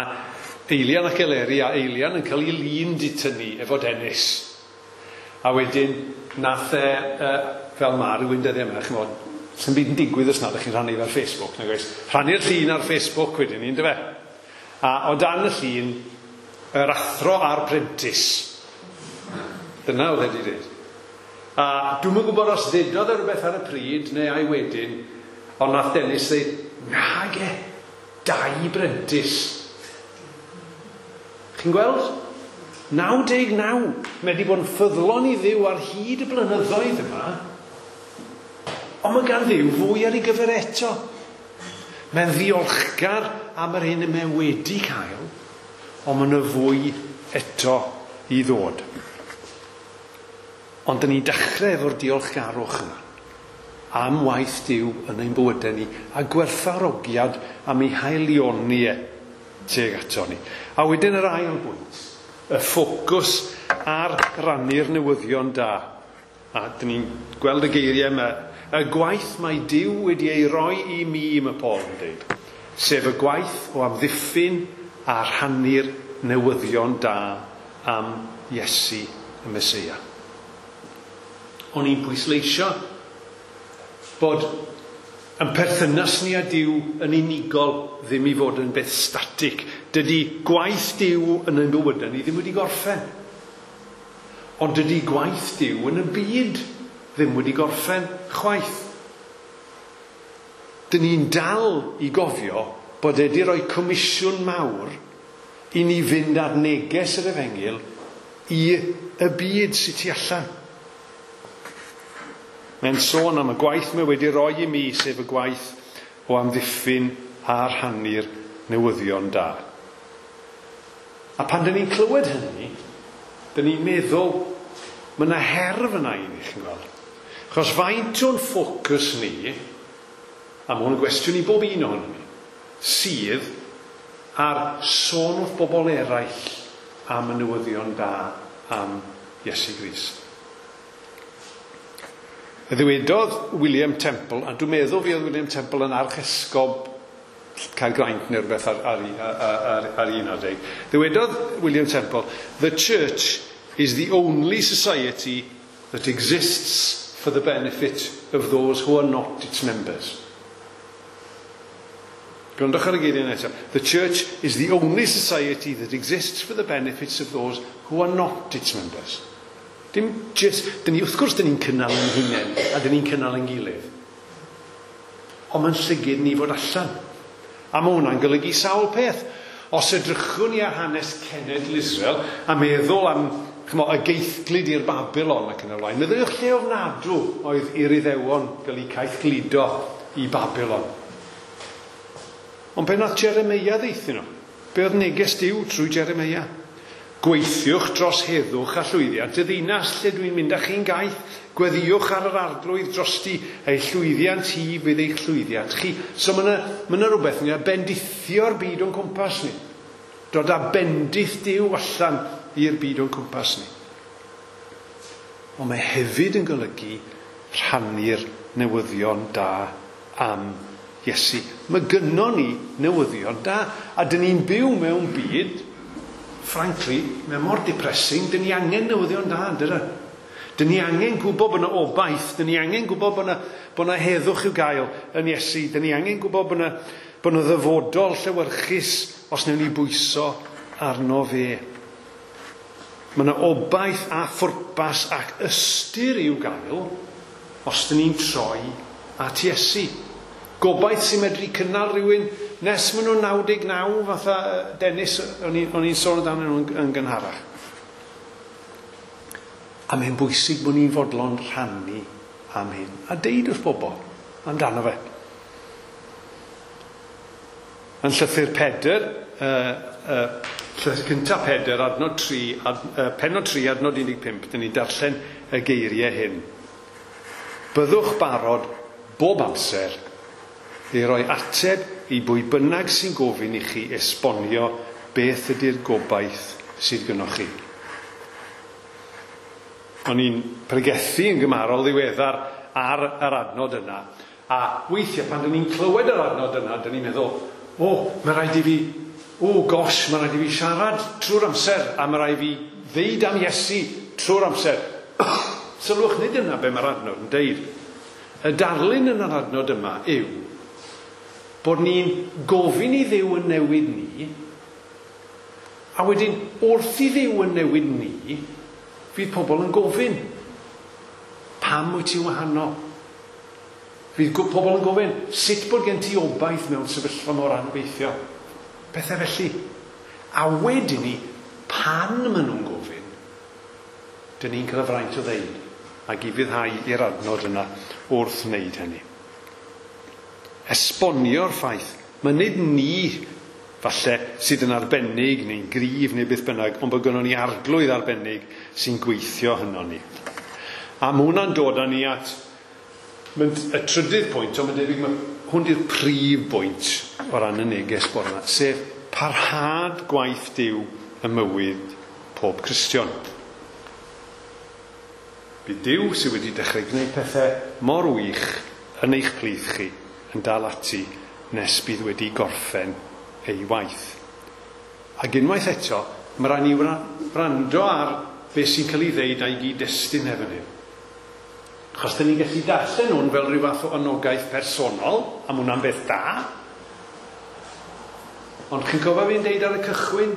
Eilian ac Eleri a Eilian yn cael ei lun di tynnu efo Dennis. A wedyn, nath e, uh, fel ma rhywun dyddiau yma, ch'mod, sy'n byd yn digwydd os nad ydych chi'n rhannu fe ar Facebook, nag oes? Rhannu'r llun ar Facebook wedyn ni, yndyfe? A o dan y llun, yr athro a'r prentis. Dyna oedd e wedi dweud. A dwi'm yn gwybod os ddedodd e rhywbeth ar y pryd, neu ai wedyn, ond nath Dennis dweud, nage, dau brentis. Chi'n gweld? naw deg naw. Mae wedi bod yn ffyddlon i Dduw ar hyd y blynyddoedd yma. Ond mae gan Dduw fwy ar ei gyfer eto. Mae'n ddiolchgar am yr hyn y mae wedi cael, ond mae yna fwy eto i ddod. Ond dyn ni'n dechrau efo'r diolchgarwch yma am waith Duw yn ein bywydau ni a gwerthfawrogiad am ei haelioni e tuag ato ni. A wedyn yr ail bwynt, y ffocws ar rannu'r newyddion da. A dyn ni'n gweld y geiriau yma. Y gwaith mae Duw wedi ei roi i mi, mae Paul yn dweud, sef y gwaith o amddiffyn a rhannu'r newyddion da am Iesu y Meseia. O'n i'n pwysleisio bod yn perthynas ni â Duw yn unigol ddim i fod yn beth static. Dydy gwaith Duw yn ein bywydau ni ddim wedi gorffen. Ond dydy gwaith Duw yn y byd ddim wedi gorffen chwaith. Dyn ni'n dal i gofio bod e wedi rhoi comisiwn mawr i ni fynd ar neges yr efengyl i y byd sydd tu allan. Mae'n sôn am y gwaith mae wedi roi i mi, sef y gwaith o amddiffyn a rhannu'r newyddion da. A pan dyn ni'n clywed hynny, dyn ni'n meddwl, mae yna her fyna i ni, chi'n gweld. Achos faint o'n ffocws ni, a mae hwn yn gwestiwn i bob un ohonom ni, sydd ar sôn wrth bobl eraill am y newyddion da am Iesu Grist. Ddywedodd William Temple, a dwi'n meddwl fi oedd William Temple yn archesgob Caergrawnt neu rhywbeth ar, ar, ar, ar, ar un adeg. Ddywedodd William Temple, "The church is the only society that exists for the benefit of those who are not its members." Gwrandwch ar y geiriau nesaf. The church is the only society that exists for the benefits of those who are not its members. Dim just, dyn ni, wrth gwrs, dyn ni'n cynnal ein hunain a dyn ni'n cynnal ein gilydd. Ond mae'n llygyd ni fod allan. A mae hwnna'n golygu sawl peth. Os edrychwn ni ar hanes cenedl Israel a meddwl am chmo, y geithglyd i'r Babylon ac yn y blaen, meddyliwch lle ofnadw oedd i'r Iddewon gael eu caethgludo i Babylon. Ond be nath Jeremia ddeithio nhw? Be oedd neges Duw trwy Jeremia? Gweithiwch dros heddwch a llwyddiant y ddinas lle dwi'n mynd â chi'n gaeth. Gweddïwch ar yr arglwydd drosti, ei llwyddiant hi fydd eich llwyddiant chi. So mae yna, ma yna rhywbeth ni a bendithio'r byd o'n cwmpas ni. Dod â bendith Duw allan i'r byd o'n cwmpas ni. Ond mae hefyd yn golygu rhannu'r newyddion da am Iesu. Mae gynnon ni newyddion da, a dyn ni'n byw mewn byd, frankly, mae mor depressing, dyn ni angen newyddion da, dyn Dyn ni angen gwybod bod yna obaith, dyn ni angen gwybod bod yna, bod yna heddwch i'w gael yn Iesu, dyn ni angen gwybod bod yna, bod yna ddyfodol llewyrchus os wnawn ni bwyso arno fe. Mae yna obaith a phwrpas ac ystyr i'w gael os dyn ni'n troi at Iesu. Gobaith sy'n medru cynnal rhywun nes maen nhw'n naw deg naw, fatha Dennis, o'n i'n sôn amdanyn nhw yn gynharach. A mae'n bwysig bod ni'n fodlon rhannu am hyn. A deud wrth bobl amdano fe. Yn llythyr Pedr, uh, uh, llythyr cyntaf Pedr, adnod tri, ad, uh, pennod tri, adnod un deg pump, dyn ni'n darllen y geiriau hyn. Byddwch barod bob amser i roi ateb i bwy bynnag sy'n gofyn i chi esbonio beth ydy'r gobaith sydd gynnoch chi. O'n i'n pregethu yn gymharol ddiweddar ar yr adnod yna. A weithiau pan dyn ni'n clywed yr adnod yna, dyn ni'n meddwl, o, mae rhaid i fi, o gosh, mae rhaid i fi siarad trwy'r amser, a mae rhaid i fi ddeud am Iesu trwy'r amser. Sylwch, nid yna be mae'r adnod yn deud. Y darlun yn yr adnod yma yw bod ni'n gofyn i Dduw yn newid ni, a wedyn wrth i Dduw yn newid ni, fydd pobl yn gofyn, pam wyt ti'n wahanol? Fydd pobl yn gofyn, sut bod gen ti obaith mewn sefyllfa mor anobeithiol? Pethau felly. A wedyn ni, pan maen nhw'n gofyn, dyn ni'n cael y fraint o ddeud, ac i fyddhau i'r adnod yna wrth wneud hynny. Esbonio'r ffaith, mae nid ni falle sydd yn arbennig neu'n gryf neu beth bynnag, ond bod gynnon ni arglwydd arbennig sy'n gweithio hynno ni. A mae hwnna'n dod â ni at y trydydd pwynt, ond mae'n debyg mae hwn di'r prif bwynt o ran y neges bore yma, sef parhad gwaith Duw ym mywyd pob Cristion. Bydd Duw sydd wedi dechrau gwneud pethau mor wych yn eich plith chi yn dal ati nes bydd wedi gorffen ei waith. Ac unwaith eto, mae rhaid ni wrando ar beth sy'n cael ei ddeud a'i gyd-destun efo hyn. Achos dyn ni'n gallu darllen hwn fel rhyw fath o anogaeth personol, a mae hwnna'n beth da. Ond chi'n cofio fi'n deud ar y cychwyn,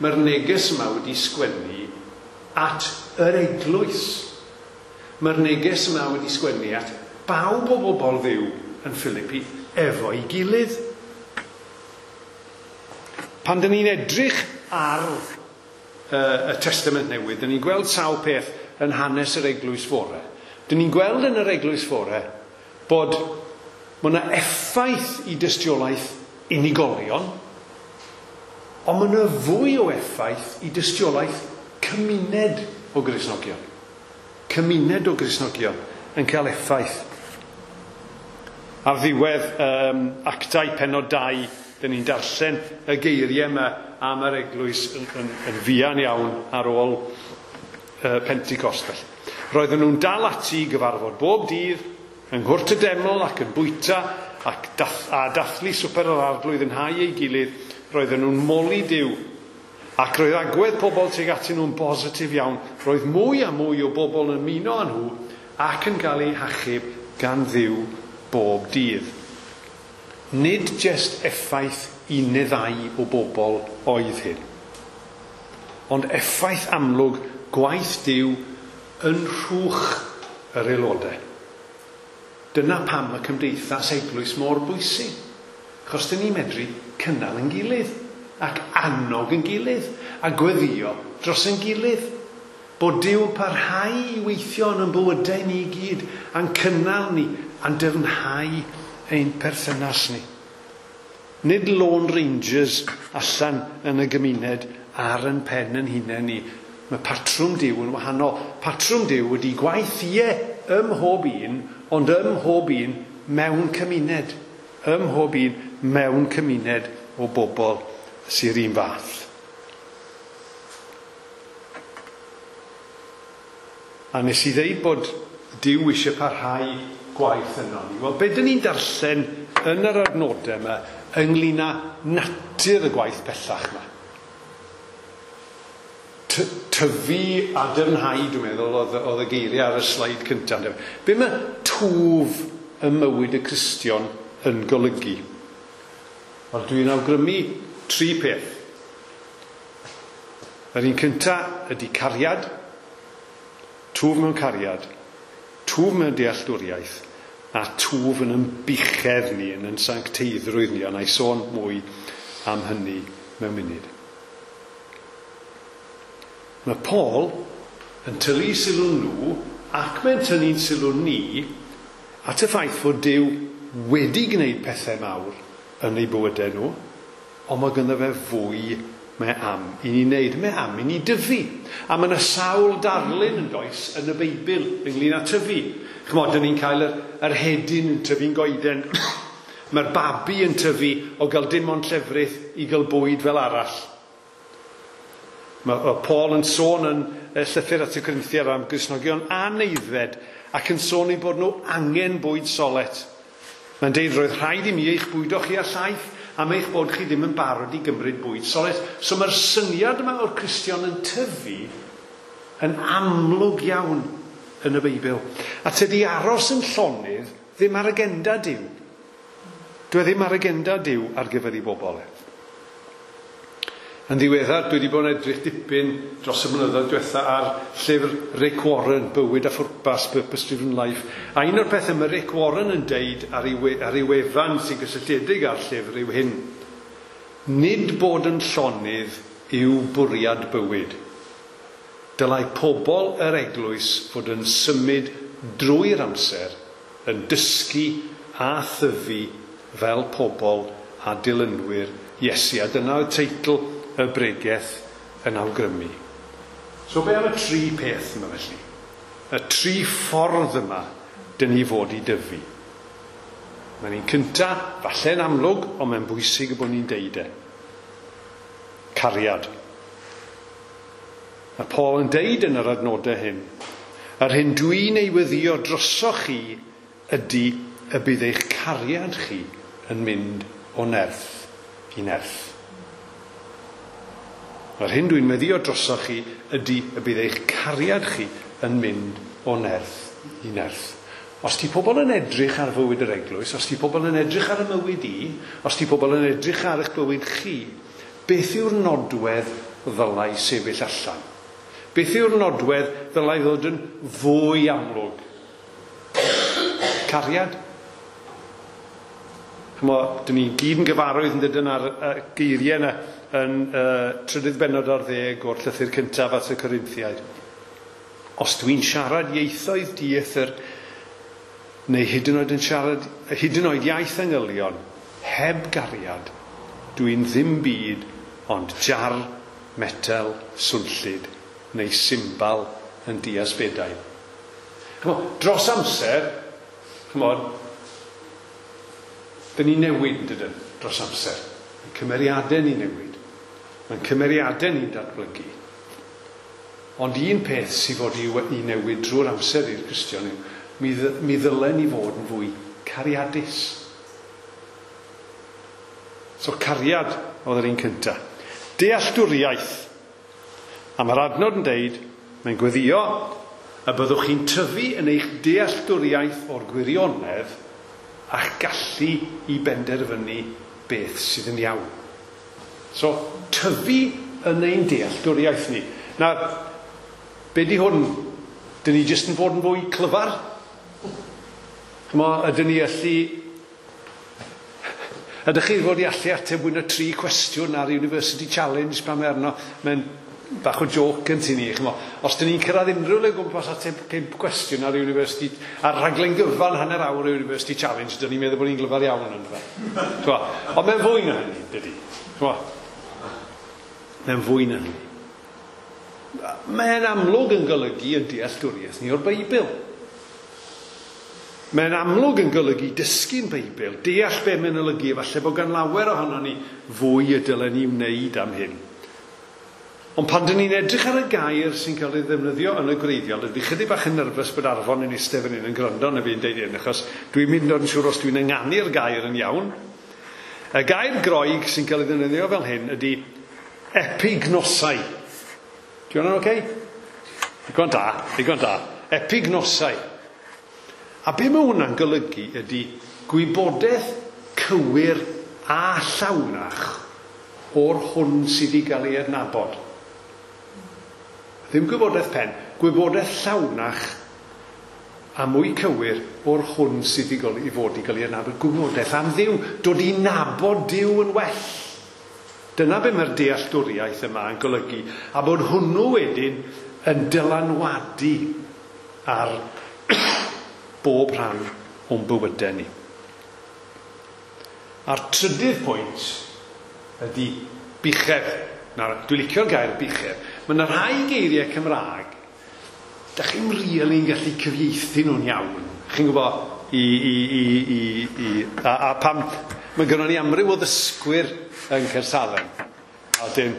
mae'r neges yma wedi sgwennu at yr eglwys. Mae'r neges yma wedi sgwennu at bawb o bobl Dduw yn Philippi efo'i gilydd. Pan dyn ni'n edrych ar uh, y Testament Newydd, dyn ni'n gweld sawl peth yn hanes yr eglwys fore. Dyn ni'n gweld yn yr eglwys fore bod mae yna effaith i dystiolaeth unigolion, ond mae yna fwy o effaith i dystiolaeth cymuned o Gristnogion. Cymuned o Gristnogion yn cael effaith. Ar ddiwedd um, Actau pennod dau, dyn ni'n darllen y geiriau yma am yr eglwys yn, yn, yn fuan iawn ar ôl uh, Pentecost. Felly. Roedden nhw'n dal ati i gyfarfod bob dydd, yng nghwrt y deml ac yn bwyta ac dath, a dathlu swper yr arglwydd yn hau ei gilydd. Roedden nhw'n moli Duw. Ac roedd agwedd pobl tuag atyn nhw'n bositif iawn. Roedd mwy a mwy o bobl yn ymuno â nhw ac yn cael eu hachub gan Dduw bob dydd. Nid jest effaith un neu ddau o bobl oedd hyn, ond effaith amlwg gwaith Duw yn rhwch yr aelodau. Dyna pam y cymdeithas eglwys mor bwysig, achos dyn ni'n medru cynnal yn gilydd, ac annog yn gilydd, a gweddio dros yn gilydd. Bod Duw yn parhau i weithio yn ein bywydau ni i gyd, a'n cynnal ni, a'n dyfnhau ein perthynas ni. Nid Lone Rangers allan yn y gymuned ar yn pen yn hunain ni. Mae patrwm Duw yn wahanol. Patrwm Duw ydy gwaith ie ym mhob un, ond ym mhob un mewn cymuned. Ym mhob un mewn cymuned o bobl sy'r un fath. A nes i ddeud bod Duw eisiau parhau gwaith yno ni. Wel, be dyn ni'n darllen yn yr adnodau yma ynglyn â natur y gwaith pellach yma? Tyfu a dyfnhau, dwi'n meddwl, oedd, oedd y geiriau ar y sleid cyntaf. Be mae twf ym mywyd y Cristion yn golygu? Wel, dwi'n awgrymu tri peth. Yr un cyntaf ydy cariad, twf mewn cariad, twf mewn dealltwriaeth, a twf yn ymbuchedd ni, yn yn sancteiddrwydd ni, a na i sôn mwy am hynny mewn munud. Mae Paul yn tynnu sylw nhw, ac mae'n tynnu'n sylw ni, at y ffaith fod Duw wedi gwneud pethau mawr yn eu bywydau nhw, ond mae ganddo fe fwy mae am i ni wneud, mae am i ni dyfu. A mae yna sawl darlun yn does yn y Beibl ynglyn â tyfu. Ch'mod, dyn ni'n cael yr, yr hedyn yn tyfu'n goeden. Mae'r babi yn tyfu o gael dim ond llefrith i gael bwyd fel arall. Mae Paul yn sôn yn llythyr at y Corinthiaid am Gristnogion aneiddfed ac yn sôn eu bod nhw angen bwyd solet. Mae'n deud roedd rhaid i mi eich bwydo chi â llaeth am eich bod chi ddim yn barod i gymryd bwyd solet. So mae'r syniad yma o'r Cristion yn tyfu yn amlwg iawn yn y Beibl. A tydi aros yn llonydd ddim ar agenda Duw. Dwi ddim ar agenda Duw ar gyfer ei bobl e. Yn ddiweddar, dwi wedi bod yn edrych dipyn dros y blynyddoedd diwetha ar llyfr Rick Warren, Bywyd a Phwrpas, Purpose Driven Life. A un o'r pethau mae Rick Warren yn deud ar ei, we, ar ei wefan sy'n gysylltiedig â'r llyfr yw hyn. Nid bod yn llonydd yw bwriad bywyd. Dylai pobl yr eglwys fod yn symud drwy'r amser, yn dysgu a thyfu fel pobl a dilynwyr Iesu. A dyna oedd teitl y bregeth yn awgrymu. So be am y tri peth yma felly? Y tri ffordd yma dyn ni fod i dyfu. Mae'n un cynta, falle'n amlwg, ond mae'n bwysig y bod ni'n deud e. Cariad. Mae Paul yn deud yn yr adnodau hyn, yr hyn dwi'n ei weddio drosoch chi ydy y bydd eich cariad chi yn mynd o nerth i nerth. Yr hyn dwi'n meddio drosoch chi ydy y bydd eich cariad chi yn mynd o nerth i nerth. Os di pobl yn edrych ar fywyd yr eglwys, os di pobl yn edrych ar y mywyd i, os di pobl yn edrych ar eich bywyd chi, beth yw'r nodwedd ddylai sefyll allan? Beth yw'r nodwedd ddylai ddod yn fwy amlwg? Cariad. Ch'mo, dyn ni gyd yn gyfarwydd yn dydyn ar uh, geiriau yna yn uh, trydydd bennod ar ddeg o'r llythyr cyntaf at y Corinthiaid. Os dwi'n siarad ieithoedd dieithr, neu hyd yn oed yn siarad, hyd yn oed iaith angylion, heb gariad, dwi'n ddim byd ond jar, metel, swnllyd, neu simbal yn diasbedau. Ch'mo, dros amser, ch'mod, dyn ni newid, dydyn, dros amser. Mae'n cymeriadau ni newid. Mae'n cymeriadau ni'n datblygu. Ond un peth sydd fod i, i newid drwy'r amser i'r Cristion yw, mi, mi ddylen ni fod yn fwy cariadus. So cariad oedd yr un cyntaf. Dealltwriaeth. A mae'r adnod yn deud, mae'n gweddio, y byddwch chi'n tyfu yn eich dealltwriaeth o'r gwirionedd a'ch gallu i benderfynu beth sydd yn iawn. So, tyfu yn ein dealltwriaeth ni. Na, be di hwn? Dyn ni jyst yn fod yn fwy clyfar? Ch'mo, ydyn ni allu... Ydych chi fod i allu ateb mwy na tri cwestiwn ar University Challenge pan mae arno? Mae'n bach o joc yn tu ni, ch'mo. Os dyn ni'n cyrraedd unrhyw le gwmpas ateb pump cwestiwn ar University, ar rhaglen gyfan hanner awr o University Challenge, dyn ni'n meddwl bod ni'n glyfar iawn yn fe. Ch'mo, ond mae'n fwy na hynny, dydy. Ch'mo, Mae'n fwy na hynny. Mae'n amlwg yn golygu yn dealltwriaeth ni o'r Beibl. Mae'n amlwg yn golygu dysgu'n Beibl, deall be mae'n olygu, falle bod gan lawer ohono ni fwy y dylen ni wneud am hyn. Ond pan dyn ni'n edrych ar y gair sy'n cael ei ddefnyddio yn y gwreiddiol, dwi chydig bach yn nerfus bod Arfon yn eistedd fan hyn yn gwrando na fi'n deud hyn, achos dwi'n mynd yn siŵr os dwi'n ynganu'r gair yn iawn. Y gair Groeg sy'n cael ei ddefnyddio fel hyn ydy epignosai. Di hwnna'n oce? Digon da, digon da. Epignosai. A be mae hwnna'n golygu ydy gwybodaeth cywir a llawnach o'r hwn sydd i gael ei adnabod. Ddim gwybodaeth pen, gwybodaeth llawnach a mwy cywir o'r hwn sydd i, gael, i fod i gael ei adnabod. Gwybodaeth am Dduw, dod i nabod Duw yn well. Dyna be mae'r dealltwriaeth yma yn golygu, a bod hwnnw wedyn yn dylanwadu ar bob rhan o'n bywydau ni. A'r trydydd pwynt ydy buchedd. Nawr, dwi'n licio'r gair buchedd. Mae yna rhai geiriau Cymraeg, da chi'n rili'n gallu cyfieithu nhw'n iawn. Chi'n gwybod, i, i, i, i, i, a, a pam, mae gynnon ni amryw o ddysgwyr yn Caersalem. A dyn,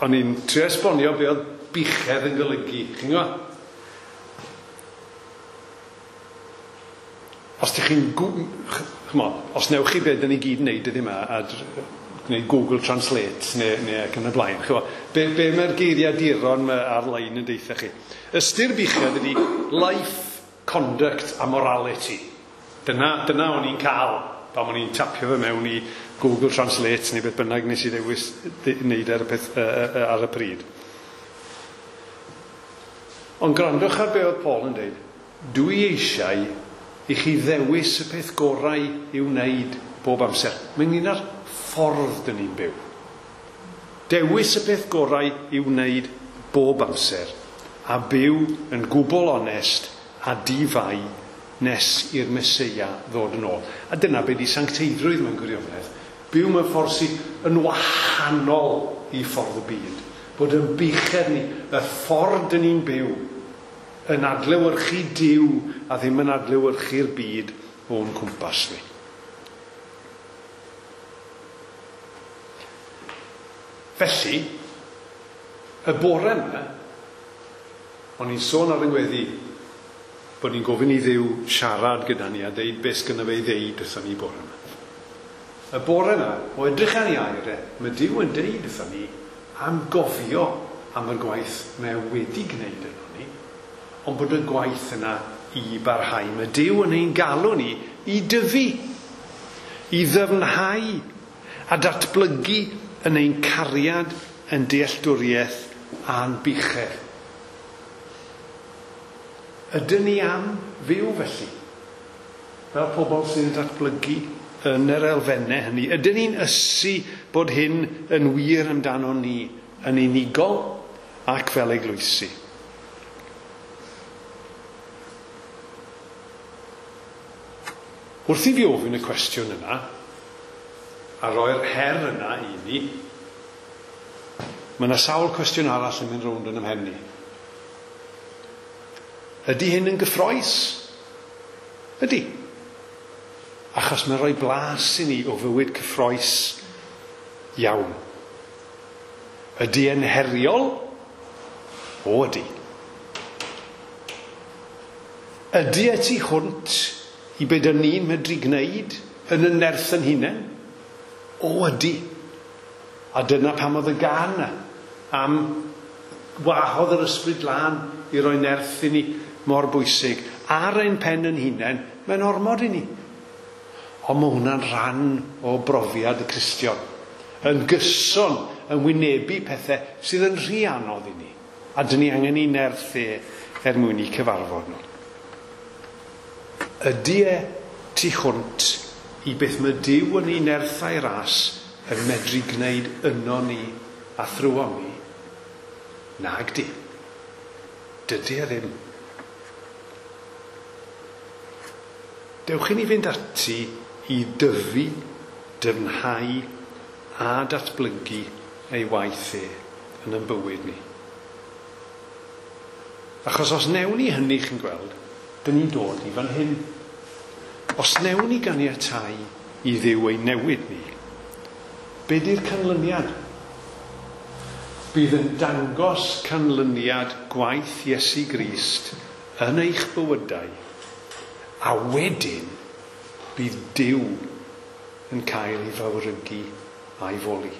o'n i'n trio esbonio be oedd buchedd yn golygu. Chi'n gwybod? Os dych chi'n... Ch'mod, os newch chi be dyn ni gyd yn neud ydy yma, a gwneud Google Translate neu, neu ac yn y blaen. Ch'mod, be, be mae'r geiriaduron ar-lein yn deutha chi? Ystyr buchedd ydy life, conduct a morality. Dyna, dyna o'n i'n cael pan o'n i'n tapio fe mewn i Google Translate neu beth bynnag nes i ddewis wneud ar y, peth, uh, ar y pryd. Ond gwrandwch ar be oedd Paul yn dweud. Dwi eisiau i chi ddewis y peth gorau i'w wneud bob amser. Mae'n un ar ffordd dyn ni'n byw. Dewis y peth gorau i'w wneud bob amser a byw yn gwbl onest a difai nes i'r Meseia ddod yn ôl. A dyna be di sancteiddrwydd mewn gwirionedd. Byw mewn ffordd sydd yn wahanol i ffordd y byd. Bod yn buchedd ni, y ffordd dyn ni'n byw, yn adlewyrchu Duw a ddim yn adlewyrchu'r byd o'n cwmpas ni. Felly, y bore yma, o'n i'n sôn ar yng ngweddi bod ni'n gofyn i Dduw siarad gyda ni a deud beth sgynno fe i ddeud wrthon ni bore yma. Y bore yma, o edrych ar ei air e, mae Duw yn deud wrthon ni am gofio am y gwaith mae wedi gwneud yno ni, ond bod y gwaith yna i barhau. Mae Duw yn ein galw ni i dyfu, i ddyfnhau a datblygu yn ein cariad, yn dealltwriaeth a'n buchedd. Ydyn ni am fyw felly? Fel pobl sydd yn datblygu yn yr elfennau hynny. Ydyn ni'n ysu bod hyn yn wir amdano ni yn unigol ac fel eglwysi? Wrth i fi ofyn y cwestiwn yna, a roi'r her yna i ni, mae yna sawl cwestiwn arall yn mynd rownd yn ymhen ni. Ydy hyn yn gyffrous? Ydy. Achos mae'n rhoi blas i ni o fywyd cyffrous iawn. Ydy e'n heriol? O, ydy. Ydy e tu hwnt i be dyn ni'n medru gwneud yn y nerth yn hunain? O, ydy. A dyna pam oedd y gân am wahodd yr ysbryd lân i roi nerth i ni mor bwysig. Ar ein pen yn hunain, mae'n ormod i ni. Ond mae hwnna'n rhan o brofiad y Cristion. Yn gyson, yn wynebu pethau sydd yn rhy anodd i ni. A dyn ni angen i nerth e er mwyn i cyfarfod nhw. Ydy e tu hwnt i beth mae Duw yn ei nerth a'i ras yn medru gwneud yno ni a thrwom ni? Nag di. Dydy e ddim. Dewch i ni fynd ati i dyfu, dyfnhau a datblygu ei waith e yn ein bywyd ni. Achos os newn ni hynny, chi'n gweld, dyn ni'n dod i fan hyn. Os newn ni ganiatáu i Dduw ei newid ni, be di'r canlyniad? Bydd yn dangos canlyniad gwaith Iesu Grist yn eich bywydau, a wedyn bydd Duw yn cael ei fawrygu a'i foli.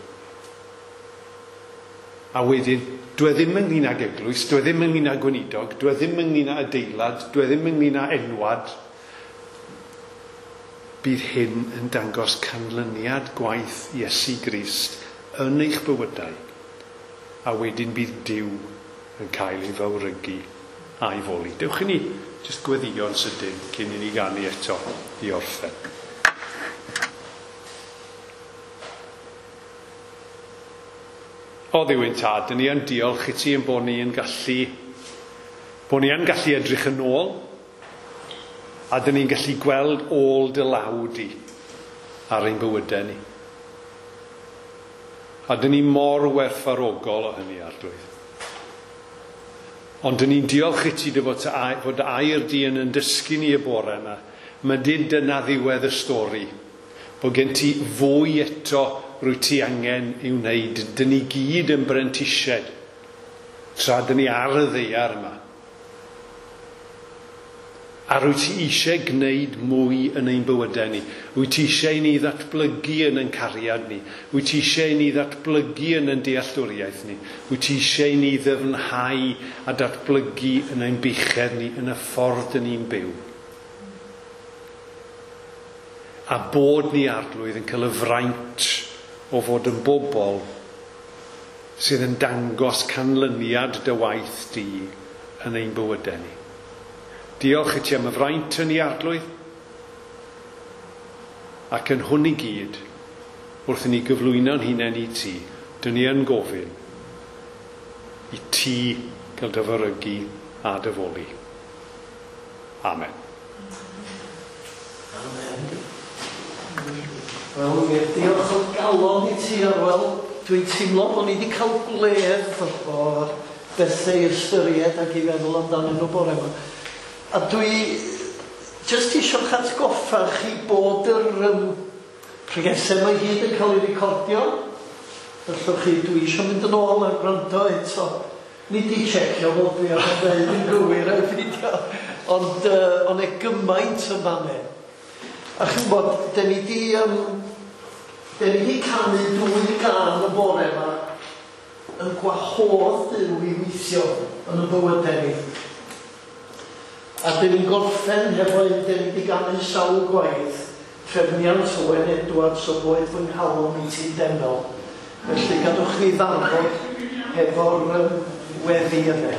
A wedyn, dwi ddim ynglyn ag eglwys, dwi ddim ynglyn â gweinidog, dwi ddim ynglyn â adeilad, dwi ddim ynglyn â enwad. Bydd hyn yn dangos canlyniad gwaith Iesu Grist yn eich bywydau, a wedyn bydd Duw yn cael ei fawrygu a'i foli. Dewch i ni jyst gweddïo'n sydyn cyn i ni ganu eto i orffen. O Dduw ein Tad, dyn ni yn diolch i ti yn bod ni yn gallu, bod ni yn gallu edrych yn ôl, a dyn ni'n gallu gweld ôl dy law di ar ein bywydau ni. A dyn ni mor werthfawrogol o hynny, Arglwydd. Ond dyn ni'n diolch i ti dy fod, fod dy air di yn yn dysgu ni y bore yma. Mae dyd dyna ddiwedd y stori. Bod gen ti fwy eto rwy ti angen i'w wneud. Dyn ni gyd yn brentisiaid tra dyn ni ar y ddaear yma. A rwy ti eisiau gwneud mwy yn ein bywydau ni. Rwy ti eisiau ni ddatblygu yn ein cariad ni. Rwy ti eisiau ni ddatblygu yn ein dealltwriaeth ni. Rwy ti eisiau ni ddyfnhau a datblygu yn ein buchedd ni, yn y ffordd dyn ni'n byw. A bod ni, Arglwydd, yn cael y fraint o fod yn bobl sydd yn dangos canlyniad dy waith di yn ein bywydau ni. Diolch i ti am y fraint yn ei Arglwydd, ac yn hwn i gyd, wrth i ni gyflwyno'n hunain i ti, dyn ni yn gofyn i ti gael dy fawrygu a dy foli. Amen. Amen. Wel, wir, diolch o galon i ti, Arwel. Dwi'n teimlo bod ni wedi cael gwledd o bethau i ystyried ac i feddwl amdanyn nhw bore yma. A dwi jyst eisiau'ch atgoffa chi bod yr um, pregethau yma i gyd yn cael ei recordio. Felly chi, dwi eisiau mynd yn ôl a gwrando eto. Nid i checio fod dwi ar y ddeud yn gywir a'i fideo, ond uh, ond e gymaint yn fanne. A chi'n bod, dyn ni di, um, dyn ni di canu dwy gân y bore yma yn gwahodd Duw i weithio yn y bywydau ni. A dyn ni'n gorffen hefo un, dyn ni wedi ganu sawl gwaith, trefniant Owen Edwards o boed fy nghalon i ti denol. Felly gadwch ni ddarfod hefo'r um, weddi yna.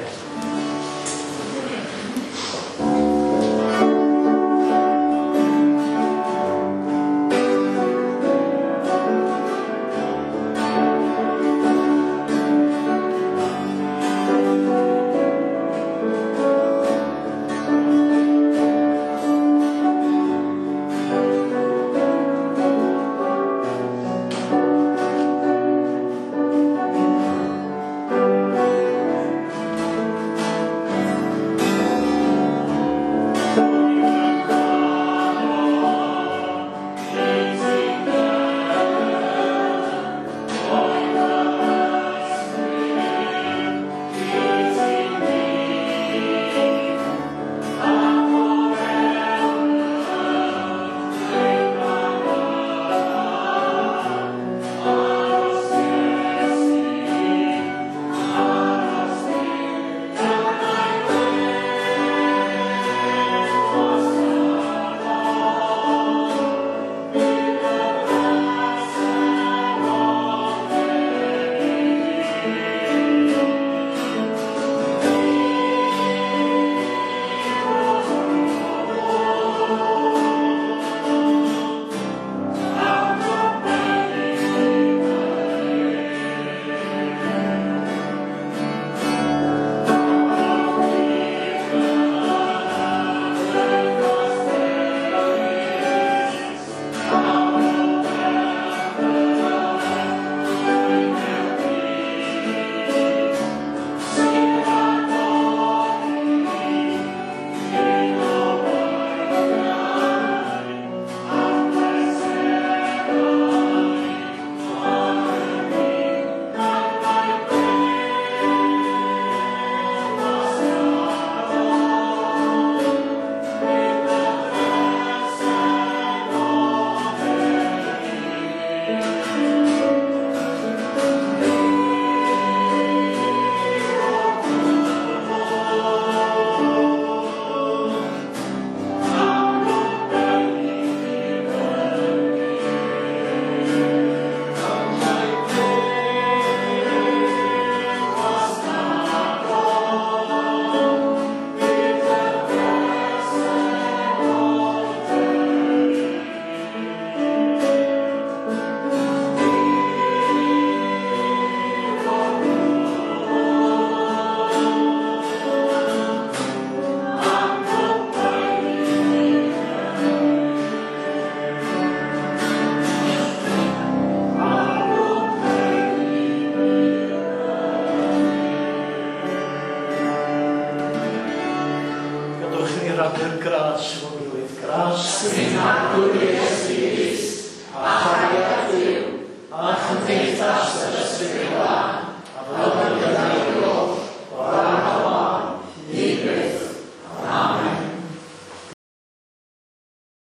Thank rhannu'r gras efo'n gilydd. Gras. Ein Arglwydd Iesu.